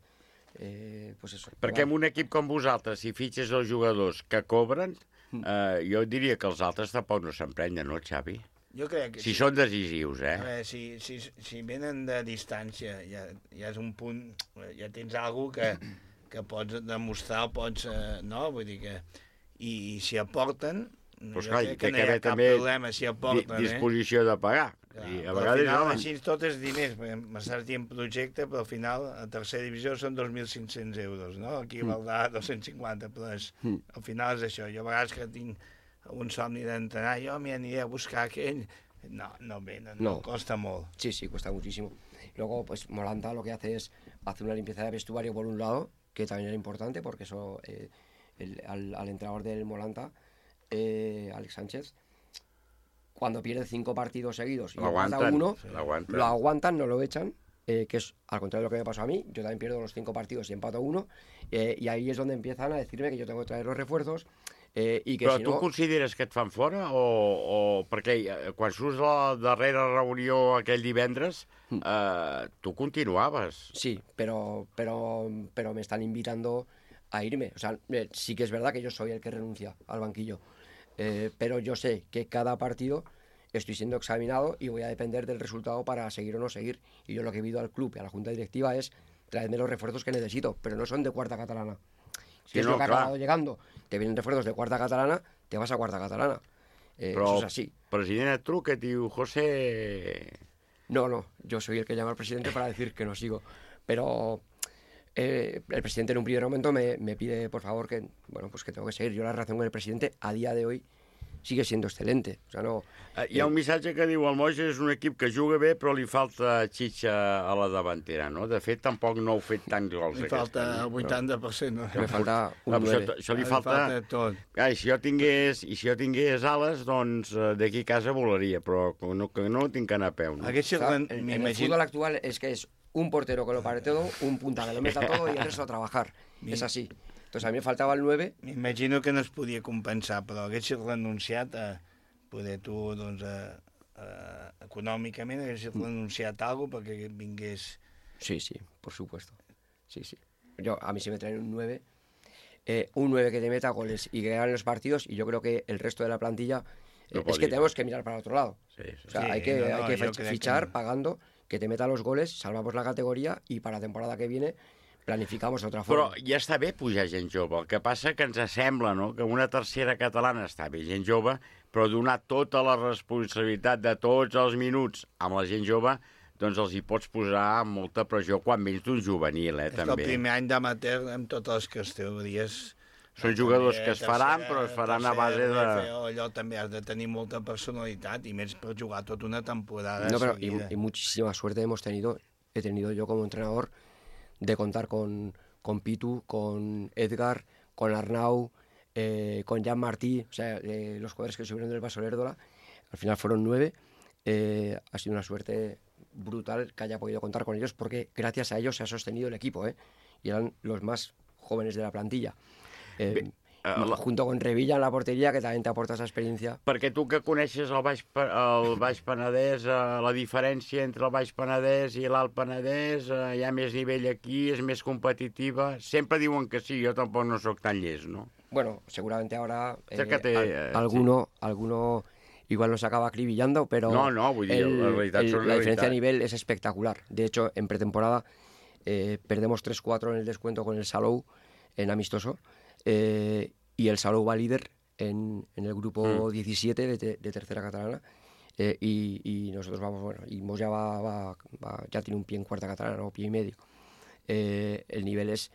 Eh, pues eso. Perquè en un equip com vosaltres, si fitxes els jugadors que cobren, eh, jo diria que els altres tampoc no s'emprenyen, no, Xavi? Jo crec que Si sí. són decisius, eh? A veure, si, si, si venen de distància, ja, ja és un punt, ja tens alguna que, que pots demostrar, pots, eh, no? Vull dir que... I, i si aporten, Pues jo clar, crec té que no que hi ha haver cap també problema si aporten, di- disposició de pagar. eh? I a Però vegades, al final, home, així tot és diners, perquè m'estàs dient projecte, però al final a tercera divisió són dos mil cinc-cents euros, no? Aquí Mm. valdrà dos-cents cinquanta, però és, Mm. al final és això. Jo a vegades que tinc un somni d'entrenar, jo m'hi aniré a buscar aquell... No, no ve, no, no, No. costa molt. Sí, sí, cuesta muchísimo. Luego, pues Molanta lo que hace es hacer una limpieza de vestuario por un lado, que también era importante, porque eso eh, el- al, al entrenador del Molanta, eh, Alex Sánchez, cuando pierde cinco partidos seguidos y lo empata aguantan, uno, lo aguantan. lo aguantan, no lo echan, eh, que es al contrario de lo que me pasó a mí. Yo también pierdo los cinco partidos y empato uno, eh, y ahí es donde empiezan a decirme que yo tengo que traer los refuerzos, eh, i que Però si tu no... consideres que et fan fora? O, o perquè eh, quan surts de la darrera reunió aquell divendres, eh, tu continuaves. Sí, pero, pero, pero me están invitando a irme. O sea, eh, sí que es verdad que yo soy el que renuncia al banquillo, eh, pero yo sé que cada partido estoy siendo examinado y voy a depender del resultado para seguir o no seguir. Y yo lo que pido al club y a la junta directiva es traerme los refuerzos que necesito, pero no son de cuarta catalana. Sí, ¿Qué es no, lo que ha clar. acabado llegando? Te vienen refuerzos de cuarta catalana, te vas a cuarta catalana. Eh, Però eso es así. el president et truca i et diu, José... No, no, yo soy el que llama al presidente para decir que no sigo. Pero eh, el presidente en un primer momento me, me pide, por favor, que bueno, pues que tengo que seguir. Yo la relación con el presidente a día de hoy sigue siendo excelente. O sea, no... Eh, Hi ha un missatge que diu el Moja és un equip que juga bé però li falta xitxa a la davantera, no? De fet, tampoc no heu fet tants gols. Li falta el vuitanta per cent. No? Me falta un Ah, nueve. això, això li Li falta... falta tot. Ah, i si jo tingués, i si jo tingués ales, doncs eh, d'aquí a casa volaria, però que no, que no tinc que anar a peu. No? O sea, en, en el fútbol actual es que es un portero que lo pare todo, un punta que lo meta todo y el resto a trabajar. Es así. Entonces a mí me faltava el nueve. M'imagino que no es podia compensar, però haguessis renunciat a poder tu, doncs, a, a, econòmicament, haguessis renunciat a alguna cosa perquè vingués... Sí, sí, por supuesto. Sí, sí. Yo, a mí si me traen un nueve, eh, un nueve que te meta goles y que gane los partidos, y yo creo que el resto de la plantilla eh, No es podía. que tenemos que mirar para otro lado. Sí, sí. O sea, Sí, hay que, no, no, hay que yo fich- creo fichar que- pagando, que te meta los goles, salvamos la categoría y para la temporada que viene planificamos de otra forma. Però ja està bé pujar gent jove. El que passa que ens sembla, no?, que una tercera catalana està bé, gent jove, però donar tota la responsabilitat de tots els minuts amb la gent jove, doncs els hi pots posar molta pressió quan vens d'un juvenil, eh, És també. el primer any d'amateur amb totes les categories. Són jugadors que es faran, però es faran a base de... Allò també has de tenir molta personalitat i més per jugar tota una temporada No, pero y, seguida. y muchísima suerte hemos tenido, he tenido yo como entrenador, de contar con, con Pitu, con Edgar, con Arnau, eh, con Jan Martí, o sea, eh, los jugadores que subieron del Vaso Lerdola, al final fueron nueve. Eh, ha sido una suerte brutal que haya podido contar con ellos, porque gracias a ellos se ha sostenido el equipo, ¿eh? Y eran los más jóvenes de la plantilla. Eh, Bé, eh, la- junto con Revilla en la portería, que también te aporta esa experiencia. Perquè tu que coneixes el Baix, Pa- el Baix Penedès, eh, la diferència entre el Baix Penedès i l'Alt Penedès, eh, hi ha més nivell aquí, és més competitiva. Sempre diuen que sí, jo tampoc no sóc tan llest, no? Bueno, seguramente ahora eh, Acércate, al- eh, alguno, alguno igual nos acaba acribillando, pero No, no, vull dir, el- la realitat el- són la realitat. diferencia de nivel es espectacular. De hecho, en pretemporada eh, perdemos tres cuatro en el descuento con el Salou en amistoso, eh, y el Salou va líder en, en el grupo Mm. diecisiete de, te- de tercera catalana, eh, y, y nosotros vamos, bueno, y Moya va, va- va- ya tiene un pie en cuarta catalana, o pie y medio. Eh, el nivel es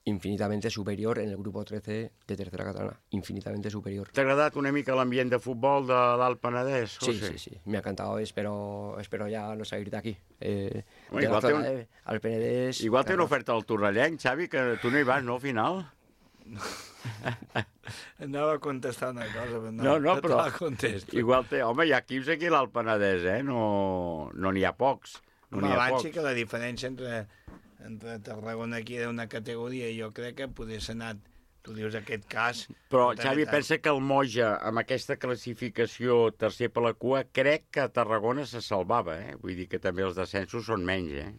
infinitamente superior en el grupo trece de tercera catalana, infinitamente superior. T'ha agradat una mica l'ambient de futbol de l'Alt Penedès, Sí, José? sí, sí, me ha encantado, espero, espero ya no salir de aquí. Eh, Bueno, de la igual té zona un- de- al Penedès... Igual té una claro. oferta al Torrellenc, Xavi, que tu no hi vas, no, al final? Anava a contestar una cosa, però no, No, no, te però la contesto. igual té... Home, hi ha equips aquí a l'Alt Penedès, eh? No no n'hi ha pocs. No Home, n'hi ha abans pocs. sí que la diferència entre, entre Tarragona aquí era una categoria i jo crec que podés anat, tu dius aquest cas... Però, també Xavi, tant. pensa que el Moja, amb aquesta classificació tercer per la cua, crec que Tarragona se salvava, eh? Vull dir que també els descensos són menys, eh?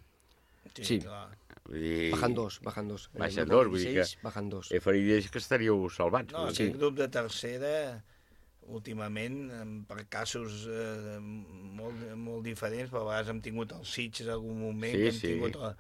Sí, clar. Vull dir... bajan dos, bajan dos. En el Baixen grupo dos, vull dir que... dieciséis, bajan dos. He faria dir que estaríeu salvats. No, vull aquest dir. grup de tercera, últimament, em, per casos eh, molt, molt diferents, però a vegades hem tingut els Sitges en algun moment, Sí, que hem sí. tingut a,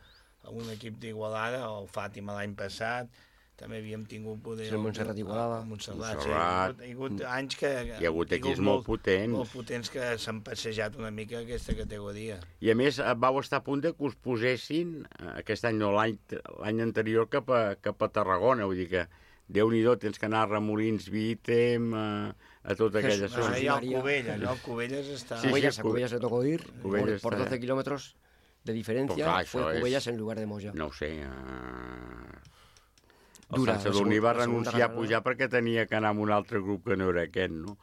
a un equip d'Igualada, o el Fàtima l'any passat, també havíem tingut poder... Sí, el Montserrat Igualada. El Montserrat, Montserrat. sí. Hi ha hagut, hi ha hagut anys que... Hi ha hagut tingut equips molt potents. Molt potents que s'han passejat una mica aquesta categoria. I a més, eh, vau estar a punt de que us posessin, eh, aquest any no, l'any l'any anterior, cap a, cap a Tarragona. Vull dir que, Déu-n'hi-do, tens que anar a Remolins, Vítem, a, a tota aquella Jesús, zona. Ah, hi ha el Cubelles, no? El Cubelles està... Sí, sí, Cubellas, a Cube- Cubellas le tocó ir Cubellas por, por está- doce kilómetros de diferencia, Pues clar, fue això és- Cubellas en lugar de Moya. No ho sé. Eh... El Dura, Sant la Sadurní segon- va la segona renunciar a carrera. pujar perquè tenia que anar amb un altre grup que no era aquest, no?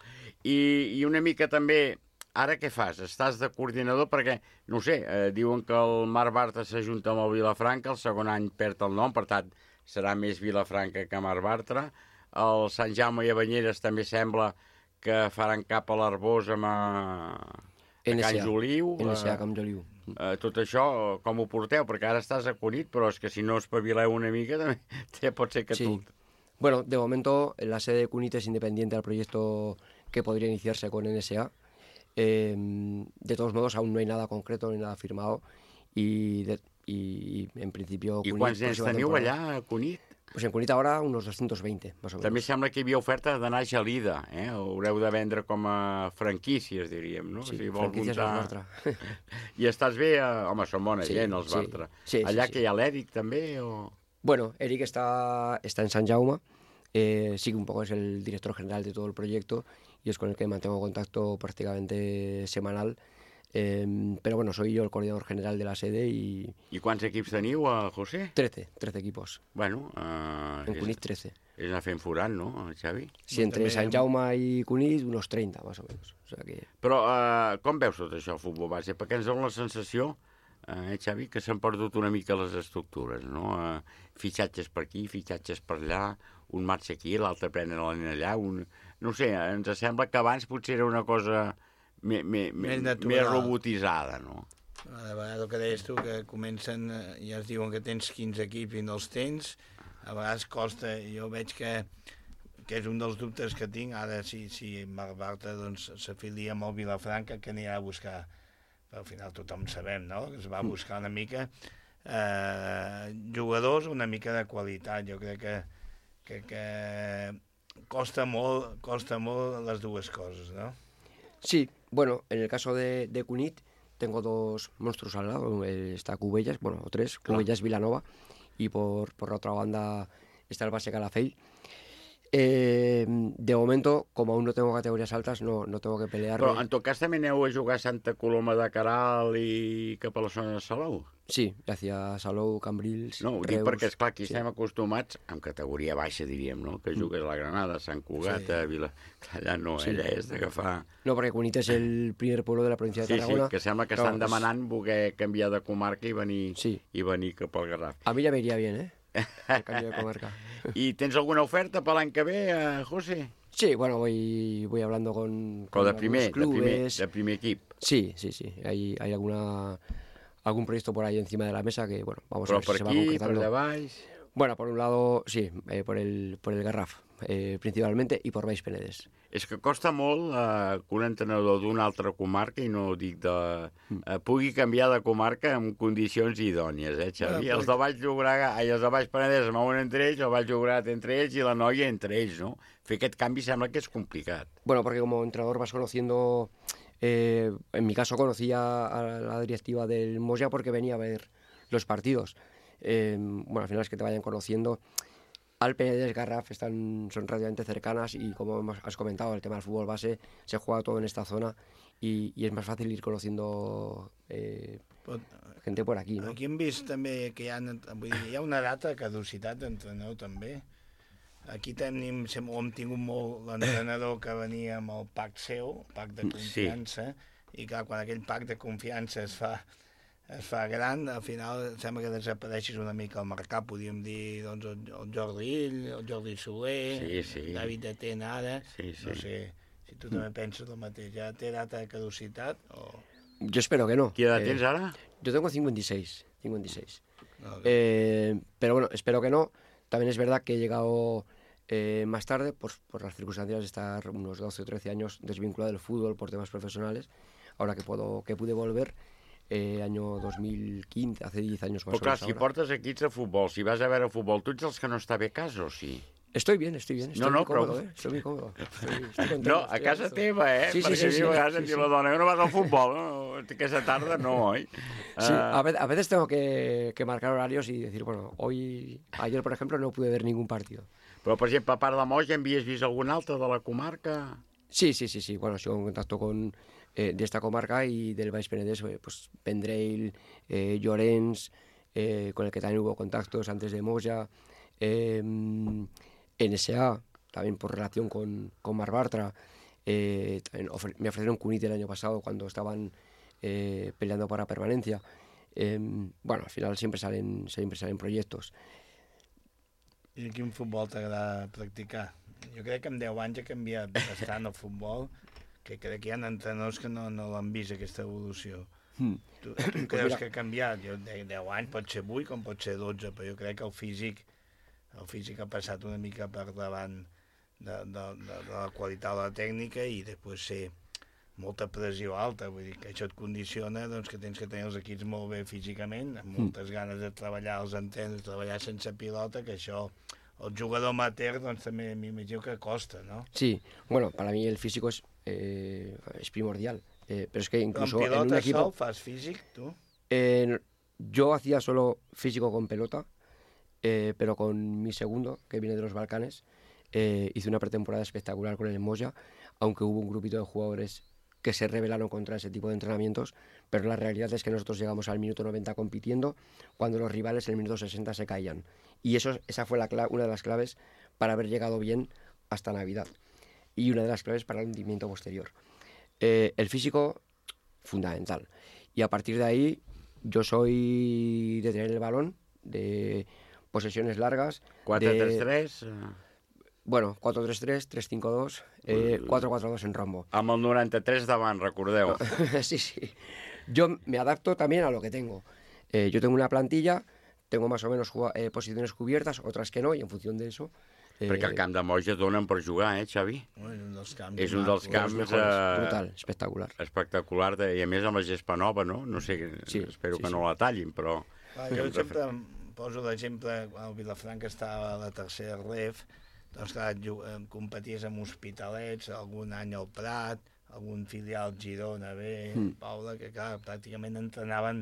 I, i una mica també, ara què fas? Estàs de coordinador perquè, no ho sé, eh, diuen que el Marc Bartra s'ajunta amb el Vilafranca, el segon any perd el nom, per tant, serà més Vilafranca que Marc Bartra. El Sant Jaume i Banyeres també sembla que faran cap a l'Arbós amb a, a Can Joliu. N S A, Can Joliu. Eh, tot això, com ho porteu? Perquè ara estàs a Cunit, però és que si no espavileu una mica, també pot ser que sí. tu... Bueno, de momento la sede de Cunit es independiente del proyecto que podría iniciarse con N S A. Eh, de todos modos, aún no hay nada concreto ni nada firmado y, de, y en principio... I quants nens teniu allà a Cunit? Pues en Cunit ahora unos doscientos veinte, más o menos. També sembla que hi havia oferta d'anar a Gelida, eh? Haureu de vendre com a franquícies, diríem, no? Sí, si franquícies muntar... als Bartra. I estàs bé? A... Home, són bona sí, gent, els sí, Bartra. Sí, allà sí, que sí. hi ha l'Eric també, o...? Bueno, Eric está, está en San Jaume, eh, sí que un poco es el director general de todo el proyecto y es con el que mantengo contacto prácticamente semanal. Eh, pero bueno, soy yo el coordinador general de la sede y... I quants equips teniu, a José? trece, trece equipos. Bueno, uh, en Cunit trece. És anar fent forat, no, Xavi? Sí, entre També... Sant Jaume i Cunit, unos treinta, más o menos. O sea que... Però uh, com veus tot això, el futbol base? Perquè ens dona la sensació, eh, Xavi, que s'han perdut una mica les estructures, no? Uh, fitxatges per aquí, fitxatges per allà, un marxa aquí, l'altre pren la nena allà, un... No sé, ens sembla que abans potser era una cosa més, més, més, més robotitzada, no? A vegades el que deies tu, que comencen, ja es diuen que tens quinze equips i no els tens, a vegades costa, jo veig que, que és un dels dubtes que tinc, ara si, si Marc Bartra doncs, s'afilia amb el Vilafranca, que anirà a buscar, però al final tothom sabem, no?, que es va buscar una mica eh, jugadors una mica de qualitat, jo crec que, que, que costa molt, costa molt les dues coses, no? Sí, bueno, en el caso de, de Cunit, tengo dos monstruos al lado, está Cubellas, bueno, o tres, Cubellas, Vilanova, y por, por la otra banda está el base Calafell. Eh, de momento, como aún no tengo categorías altas, no, no tengo que pelear. Però en tot cas també aneu a jugar a Santa Coloma de Caral i cap a la zona de Salou? Sí, hacia Salou, Cambrils, No, ho Reus, dic perquè, esclar, aquí sí. estem acostumats, en categoria baixa, diríem, no?, que jugues a la Granada, Sant Cugat, sí. a Vila... Allà no, Sí. allà és d'agafar... No, porque Cunit es el primer pueblo de la provincia de Sí, Tarragona. sí, que sembla que Claro, estan pues, demanant voler canviar de comarca i venir, sí. i venir cap al Garraf. A mí ya me iría bien, ¿eh? El cambio de comarca. ¿Y tens alguna oferta para l'any que ve, eh, José? Sí, bueno, voy, voy hablando con, Con de algunos primer, de clubes. primer, de primer equip. Sí, sí, sí. Hay, hay alguna algún proyecto por ahí encima de la mesa que, bueno, vamos Però a ver per si se va aquí, concretando. per de baix... Bueno, por un lado, sí, eh, por, el, por el Garraf, eh, principalmente, y por Baix Penedès. És que costa molt eh, que un entrenador d'una altra comarca, i no dic de... Eh, pugui canviar de comarca en condicions idònies, eh, Xavi? Bueno, Els de Baix Llobregat, ai, els de Baix Penedès es mouen entre ells, el Baix Llobregat entre ells i la Noia entre ells, no? Fer aquest canvi sembla que és complicat. Bueno, porque como entrenador vas conociendo, eh, en mi caso conocía a la directiva del Moya porque venía a ver los partidos. Eh, bueno, al final es que te vayan conociendo. Al Penedès, Garraf están, son relativamente cercanas y como hemos- has comentado, el tema del fútbol base se juega todo en esta zona y, y es más fácil ir conociendo eh, Pot... gente por aquí, ¿no? Aquí hem vist també que hi ha, vull dir, hi ha una data de caducitat d'entrenador també. Aquí tenim, sem- hem tingut molt l'entrenador que venia amb el pacte seu, el pacte de confiança, sí. I clar, quan aquell pacte de confiança es fa, es fa gran, al final sembla que desapareixis una mica al mercat, podríem dir doncs, el, el Jordi Ill, el Jordi Soler, Sí, sí. David Atena ara, Sí, sí. no sé si tu també penses el mateix, ja té data de caducitat o... Yo espero que no. ¿Qué edad Eh, tienes ahora? Yo tengo cincuenta y seis. cincuenta y seis. Vale. Eh, pero bueno, espero que no. También es verdad que he llegado eh, más tarde por, por las circunstancias de estar unos doce o trece años desvinculado del fútbol por temas profesionales. Ahora que puedo que pude volver, eh, año dos mil quince, hace diez años más Però o clar, menos si ahora. portes equips de futbol, si vas a veure futbol, tu ets els que no està bé a casa, o sí? Estoy bien, estoy bien. Estoy No, muy no, però- cómodo, ¿eh? Estoy muy cómodo. Estoy, estoy contento, No, a estoy casa gusto. teva, eh? Sí, sí, Perquè sí, a mi sí, a vegades sí, em diu sí. la dona, que no vas al futbol, no? Aquesta tarda no, oi? Sí, Ah, a, ve- a veces tengo que, que marcar horarios y decir, bueno, hoy, ayer por ejemplo no pude ver ningún partido. Però, per exemple, a part de Moja, havies vist algun altre de la comarca? Sí, sí, sí, sí. Bueno, sigo en contacto con eh, de esta comarca y del Baix Penedès, eh, pues Vendrell, eh, Llorenç, eh, con el que también hubo contactos antes de Moja, eh, N S A, también por relación con, con Marc Bartra, Eh, ofre me ofrecieron Cunit el año pasado cuando estaban eh, peleando para permanencia. Eh, bueno, al final siempre salen, siempre salen proyectos. I quin futbol t'agrada practicar? Jo crec que en deu anys ha canviat bastant el futbol, que crec que hi ha entrenadors que no, no l'han vist, aquesta evolució. Mm. Tu, tu creus que ha canviat? Jo, de deu anys pot ser vuit com pot ser dotze, però jo crec que el físic, el físic ha passat una mica per davant de, de, de, de la qualitat de la tècnica i després ser molta pressió alta, vull dir que això et condiciona doncs, que tens que tenir els equips molt bé físicament, amb moltes mm. ganes de treballar els entrenos, treballar sense pilota, que això el jugador amateur doncs, també m'imagino que costa, ¿no? Sí, bueno, para mí el físico es, eh, es primordial, eh, pero es que incluso ¿Con pilota en un equipo... sol fas físic, tu? Eh, yo hacía solo físico con pelota, eh, pero con mi segundo, que viene de los Balcanes, eh, hice una pretemporada espectacular con el Moya, aunque hubo un grupito de jugadores que se rebelaron contra ese tipo de entrenamientos, pero la realidad es que nosotros llegamos al minuto noventa compitiendo cuando los rivales en el minuto sesenta se caían. Y eso, esa fue la una de las claves para haber llegado bien hasta Navidad. Y una de las claves para el hundimiento posterior. Eh, el físico, fundamental. Y a partir de ahí, yo soy de tener el balón, de posesiones largas. cuatro tres tres... Bueno, cuatro tres tres, tres cinco dos, eh, cuatro cuatro dos en rombo. Amb el noranta-tres davant, recordeu. Sí, sí. Yo me adapto también a lo que tengo. Eh, yo tengo una plantilla, tengo más o menos eh, posiciones cubiertas, otras que no, y en función de eso... Eh... Perquè el camp de Moja donen per jugar, eh, Xavi? És un dels camps. És un dels camps... Eh, brutal, espectacular. Espectacular, de, i a més amb la gespa nova, no? No sé, sí, espero sí, que sí. no la tallin, però... Ah, jo sempre poso l'exemple, quan el Vilafranca estava a la tercera ref, doncs clar, competies amb Hospitalets, algun any al Prat, algun filial Girona B, mm. Paula, que clar, pràcticament entrenaven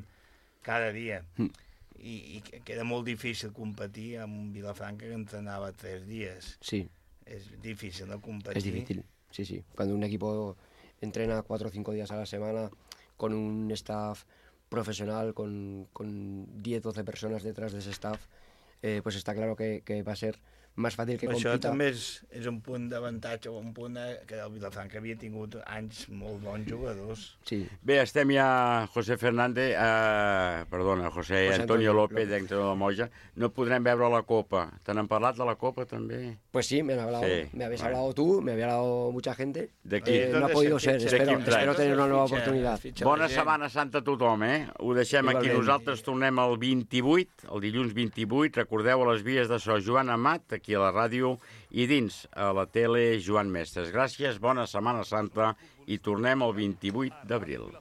cada dia. Mm. I, I que era molt difícil competir amb un Vilafranca que entrenava tres dies. Sí. És difícil, ¿no?, competir. Es difícil, sí, sí. Cuando un equipo entrena cuatro o cinco días a la semana con un staff profesional, con, con diez o doce personas detrás de ese staff, eh, pues está claro que, que va a ser més fàcil que compita. Això també és, és un punt d'avantatge, un punt de, que el Vilafranca havia tingut anys molt bons jugadors. Sí. Bé, estem ja, José Fernández, eh, perdona, José, José Antonio, Antonio López, entrenador de Moja. No podrem veure la Copa. ¿Te han parlat de la Copa també? Pues sí, me, han hablado, sí. me habéis bueno. hablado tú, me había hablado mucha gente. De qui? Eh, no ha podido ser, espero, espero tener una nueva oportunidad. Bona Setmana Santa a tothom, eh? Ho deixem aquí. Nosaltres tornem el vint-i-vuit, el dilluns vint-i-vuit. Recordeu a les vies de So Joan Amat, aquí a la ràdio, i dins a la tele Joan Mestres. Gràcies, bona Setmana Santa i tornem el vint-i-vuit d'abril.